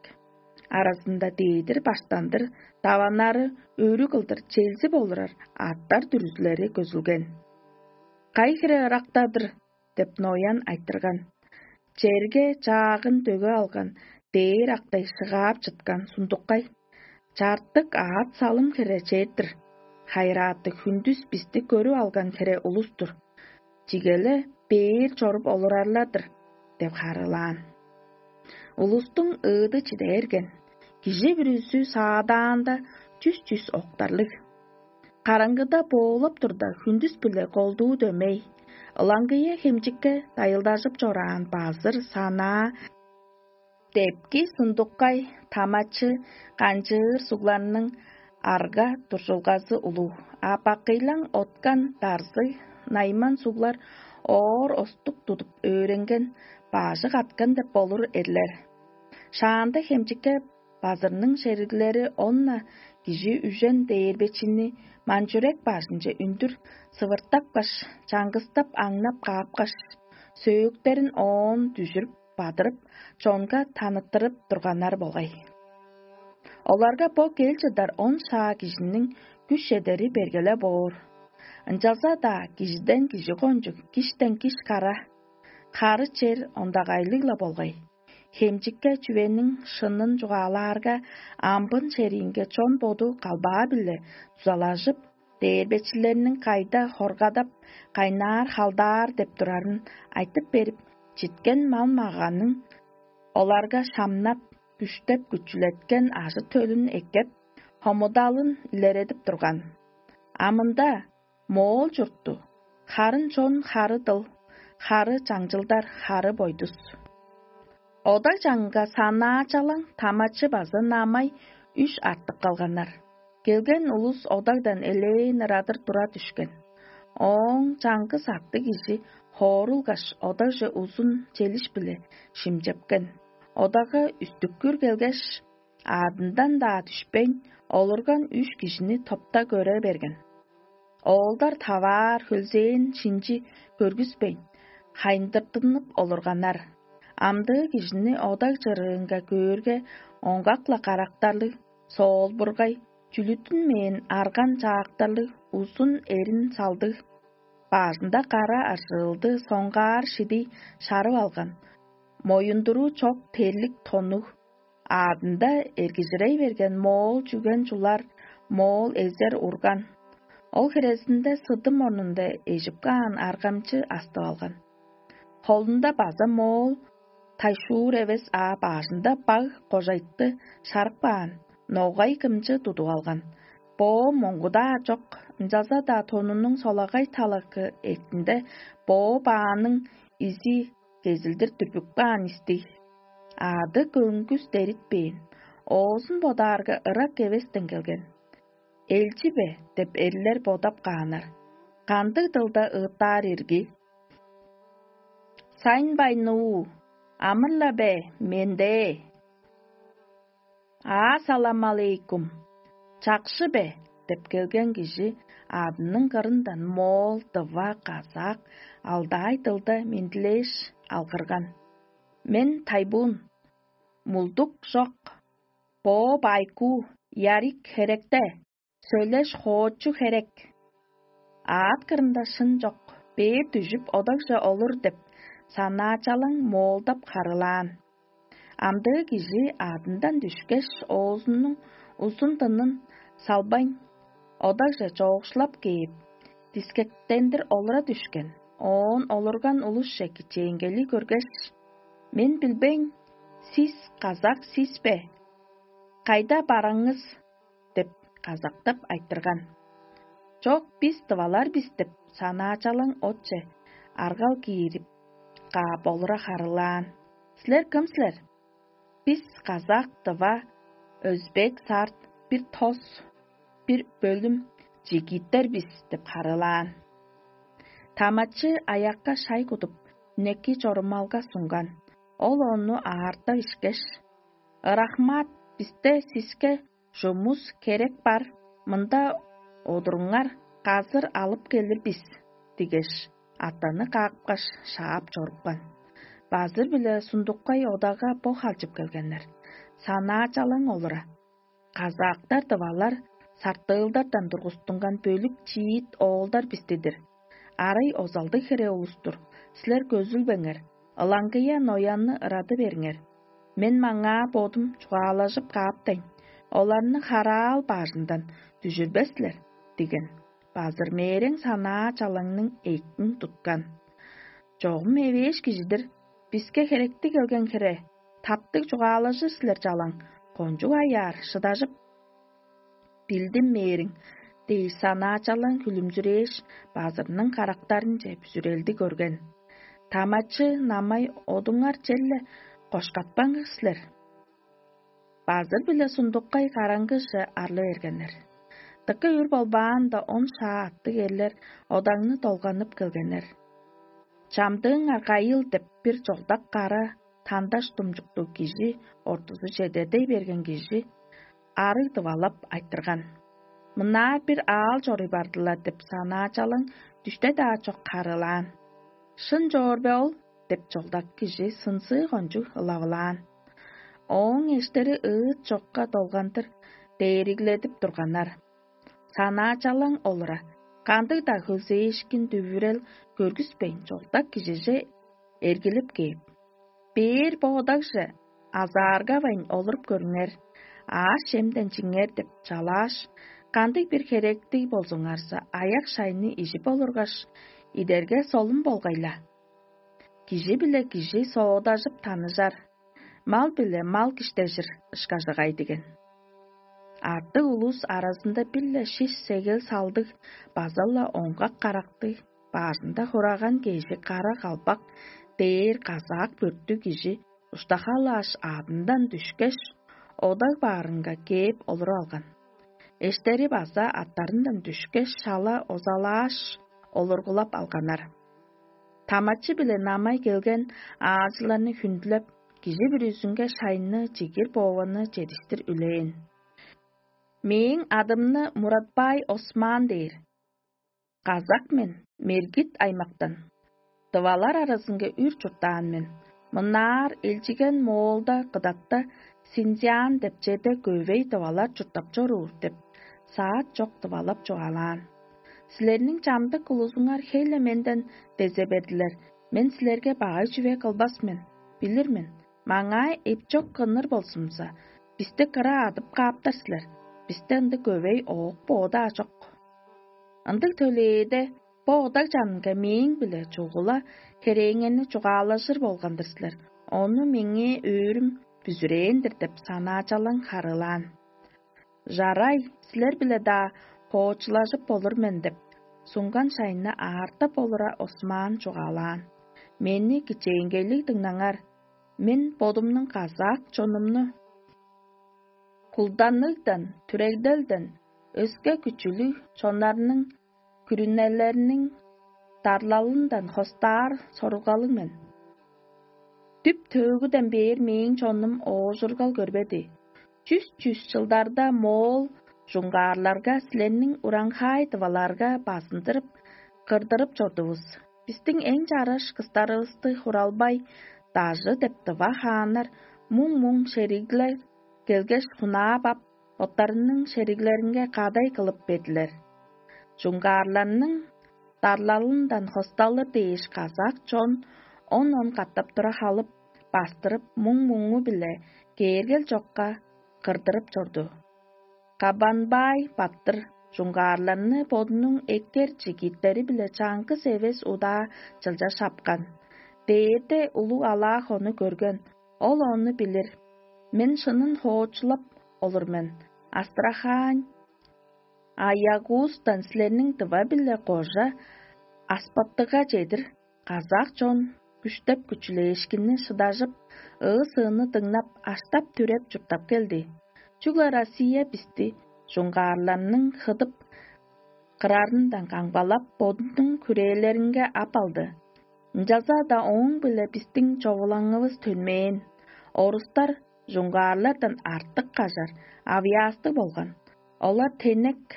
аразында дедир баштандыр даваннары өрү кылдыр челзип олурар аъттар дүрүзүлери көзүлген. «Кай хире ырактадыр?» — деп ноян айтырган. Черге чаагын дөге алган, дээр актай шыгаап чыткан сундуккай. Чартык аът салым хире чээр-дир. Хайырааты хүндүс бисти көрүп алган хире улус-тур. Чигеле бээр чоруп олурарлар-дыр деп харыылаан. Улустуң ыыды чиде берген. Кижи бүрүзү саадаанда чүс-чүс октарлыг. Караңгыда боолап турда, хүндүс-биле колдуу дөмей, ылаңгыя хемчикке дайылдажып чораан базыр санаа, депки сундуккай, тамачы, канчыыр сугларның арга дуржулгазы улуг, а бакыйлаң откан дарзыг, найман суглар оор остук тудуп өөренген, бажы каткан деп болур эрлер. Шаанда хемчикке Базырның шериглери онна кижи үжен дээрбечини манчүрек бажынче үндүр сывыртапкаш, чаңгыстап аңнап каапкаш, сөөктерин оон дүжүрүп бадырып, чонга таныттырып турганнар болгай. Оларга бо кел чыдар он шаа кижиниң күш чедери бергеле боор. Ынчалза-даа кижиден кижи кончуг, киштен киш кара, хары чер ондагайлыг-ла болгай. Хемчикке чүвениң шынын чугаалаарга, амбын шериинге чон боду калбаа-биле дузалажып, дээрбечилерниң кайда хоргадап, кайнаар халдаар деп турарын айтып берип, читкен мал-маганың оларга шамнап, күштеп-күчүлеткен ажы-төлүн эккеп, хомудалын илередип турган. А мында моол чуртту, харын чон хары дыл, хары чаңчылдар хары бойдус. Ода чаңга санаачалаң тамачы база намай үш артып калганнар. Келген улус одагдан элээн ырадыр тура дүшкен. Ооң чаңгыс аттыг кижи хоорулгаш, одагже узун челиш-биле шимчепкен. Одага үстүккүр келгеш, аадындан-даа дүшпейн, олурган үш кижини топта көре берген. Оолдар таваар хөлзээн шинчи көргүспейн, хайындыртынып олурганнар. Амдыы кижини одаг чырыынга көөрге, оңгак-ла карактарлыг, соолбургай, чүлүттүнмээн арган чаактарлыг, узун эрин салдыг, баазында кара ажыылды соңгаар шидий шарып алган, моюндуруу чок терлик тоннуг, аадында эргижирей берген моол чүген чулар, моол эзер урган. Ол хирезинде сыдым орнунда эжип каан аргамчы астып алган. Холунда база моол тайшуур эвес, а баажында баг кожайтты шарып каан, ногай кымчы тудуп алган. Боо моңгудаа чок, ынчалза-даа тонунуң солагай талакы эктинде боо бааның изи кезилдир дүрбүк каан истиг. Аады көңгүс деритпээн, оозун бодаарга ырак эвестен келген. «Элчи бе?» — деп эрлер бодап кааннар. Кандыг дылда ыыттаар ирги? «Сайн байнуу, амыр-ла бе, менде?» «Аа, салам алейкум! Чакшы бе?» — деп келген кижи аадының кырындан моол, дыва, казак, алдаай дылда мендилээш алгырган: «Мен тайбуун, мулдук чок, боо байкуу, ярик херекте, сөөлеш хоочу херек». Аът кырында шын чок, бээр дүжүп, одагже олур деп, санаачалаң моолдап харыылаан. Амдыы кижи аадындан дүшкеш, оозунуң узун дынын салбайн, одагже чоокшулап кээп, дискектендир олура дүшкен. Оон олурган улусче кичээнгели көргеш: «Мен билбейн, сис казак сис бе? Кайда бараңыз?» — деп казактап айтырган. «Чок, бис тывалар бис» — деп, санаачалаң отче аргал киирип каап олура харыылаан. «Силер кым силер?» «Бис казак, тыва, өзбек, сарт, бир тос, бир бөлүм жигиттер бис» — деп харыылаан. Тамачы аякка шай кудуп, үнеки чорумалга сунган. Ол ону аартап ишкеш: «Ырахмат, бисте сиске чумус херек бар, мында одуруңар, казыр алып келир бис» — дигеш, аттаны каапкаш, шаап чорупкан. Базыр-биле Сундуккай одага бо халчып келгеннер. Санаачалаң олура. «Казаактар, тывалар сартыылдардан тургустунган бөлүк чиит оолдар бистидир. Арай озалдыг хире улус-тур. Силер көзүлбеңер, ылаңгыя ноянны ырады бериңер. Мен маңаа бодум чугаалажып кааптайн, оларны хараал бажындан дүжүрбес силер» — диген. Базыр мээрең санаа чалаңның эйкин туткан. «Чогум эвээш кижи-дир, биске херекти келген хире, таптыг чугаалажыр силер чалаң, кончуг аяар шыдажып билдим мээриң» — дээш, санаачалаң хүлүмзүрээш, базырның карактарынче бүзүрелди көрген. «Тамачы, намай, одуңар черле кошкатпаңар силер». Базыр-биле Сундуккай караңгыже арла бергеннер. Дыка үр болбаанда, он шаа аттыг эрлер одаңны долганып келгеннер. «Чамдыыңар кайыл» — деп, бир чогдак кара тандаш думчуктуг кижи ортузу чедедей берген кижи арыг дывалап айтырган: «Мынаа бир аал чоруй бардылар» — деп санаачалаң дүште-даа чок харыылаан. «Шын чоор бе ол?» — деп чолдак кижи сынзыы кончуг ылавылаан. Ооң эштери ыыт чокка долгандыр дээригледип турганнар. Санаачалаң олура кандыг-даа хөлзээшкин дүвүрел көргүспейн, чолдак кижиже эргилип кээп: «Бээр бо одагже азааргавайн олуруп көрүңер, аъш-чемден чиңер» — деп чалааш: «Кандыг-бир херектиг болзуңарза, аяк-шайны ижип олургаш, идерге солун болгай-ла. Кижи-биле кижи соодажып таныжар, мал-биле мал киштежир ышкажыгай» — диген. Артык улус аразында бир-ле шиш сегел салдыг база-ла оңгак карактыг, бажында хураган кежи кара калбак дээр казаак бөрттүг кижи уштахалааш, аъдындан дүшкеш, одаг баарынга кээп олуруп алган. Эштери база аттарындан дүшкеш, шала озалааш, олургулап алганнар. Тамачы-биле намай келген аалчыларны хүндүлеп, кижи бүрүзүнге шайны, чигир боованы чедиштир үлээн. «Мээң адымны Муратбай Осман дээр. Казак мен, Мергит аймактан. Тывалар аразынга үр чурттаан мен. Мынаар элчиген Моолда, Кыдатта, Синьцзян деп черде көвей тывалар чурттап чоруур» — деп саат чок тывалап чугаалаан. «Силерниң чамдык улузуңар хей-ле менден дезе бердилер. Мен силерге багай чүве кылбас мен, билир мен. Маңаа эпчок кынныр болзумза, бисти кыра адып кааптар силер. Бисте ындыг көвей оок-боо-даа чок. Ындыг төлээде бо одаг чанынга мээң-биле чугула херээңерни чугаалажыр болган-дыр силер. Ону меңээ өөрүм бүзүрээн-дир» — деп санаачалаң харыылаан. «Жарай, силер-биле-даа хоочулажып болур мен» — деп, сунган шайны аартап олура Осман чугаалаан: «Мени кичээнгейлиг дыңнаңар. Мен бодумнуң казак чонумну кулданыгдан, түрегделден, өске күчүлүг чоннарның күрүнелериниң дарлалындан хостаар сорулгалыг мен. Дүп-төөгүден бээр мээң чонум оожургал көрбеди. Чүс-чүс чылдарда моол чуңгаарларга, силерниң ураңхай тываларга базындырып, кырдырып чордувус. Бистиң эң чараш кыстарывысты Хуралбай, Дажы деп тыва хааннар муң-муң шериглер келгеш, хунаап ап, боттарының шериглеринге кадай кылып бердилер. Чуңгаарларның дарлалындан хосталыр дээш, казак чон он-он катап тура халып, бастырып, муң-муңу-биле кээргел чокка кырдырып чорду. Кабанбай баттыр чуңгаарларны бодунуң эккер чигиттери-биле чаңгыс эвес удаа чылча шапкан. Дээрде улуг алаа-хону көрген, ол ону билир. Мен шынын хоочулап олур мен. Астрахань, Аягуздан силерниң дыва-биле кожа Аспаттыга чедир казак чон күштеп-күчүлээшкинни шыдажып, ыы-сыыны дыңнап, аштап-түреп чурттап келди. Чүгле Россия бисти чуңгаарларның хыдып кырарындан камгалап, бодунуң хүрээлеринге ап алды. Ынчалза-даа ооң-биле бистиң човулаңывыс төнмээн. Орустар чуңгаарлардан артык кажар авыяастыг болган. Олар тенек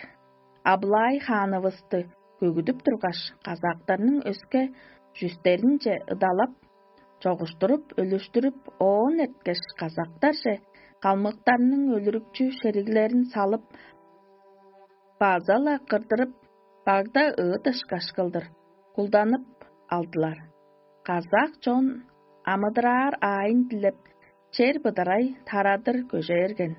Аблай хаанывысты көгүдүп тургаш, казактарның өске чүстеринче ыдалап, чогуштуруп, өлүштүрүп, оон эрткеш, казактарже калмыктарның өлүрүкчү шериглерин салып, база-ла кырдырып, багда ыыт ышкаш кылдыр кулданып алдылар. Казак чон амыдыраар аайын дилеп, чер быдырай тарадыр көже берген.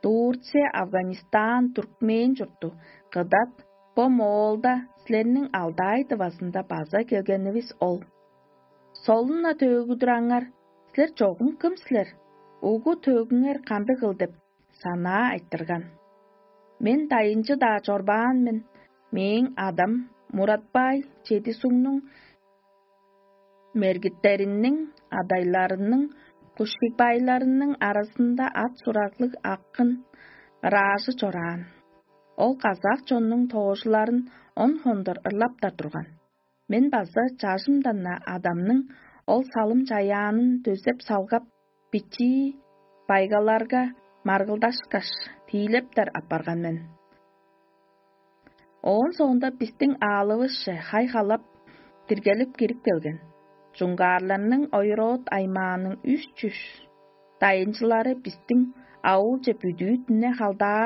Турция, Афганистан, Туркмен чурту, Кыдат, бо Моолда, силерниң Алдай дывазында база келгенивис ол. Солун-на төөгүдүр аңар, силер чогум кым силер? Угу төөгүңер кандыгыл деп санаа айтырган. Мен дайынчы-даа чорбаан мен, мээң адам Муратбай Чедисуңнуң мергиттериниң, адайларының, кушкикбайларының аразында ат-сураглыг акын ыраажы чораан. Ол казак чоннуң тоожуларын он хондор ырлаптар турган. Мен база чажымдан-на адамның Ол салым чаяанын дөзеп салгап, бичии байгаларга маргылдашкаш, тиилептер апарган мен. Оон соонда бистиң аалывысче хай-халап, диргелип кирип келген. Чуңгаарларның ойроот аймааның үш чүш дайынчылары бистиң ауулче бүдүү-дүне халдааш,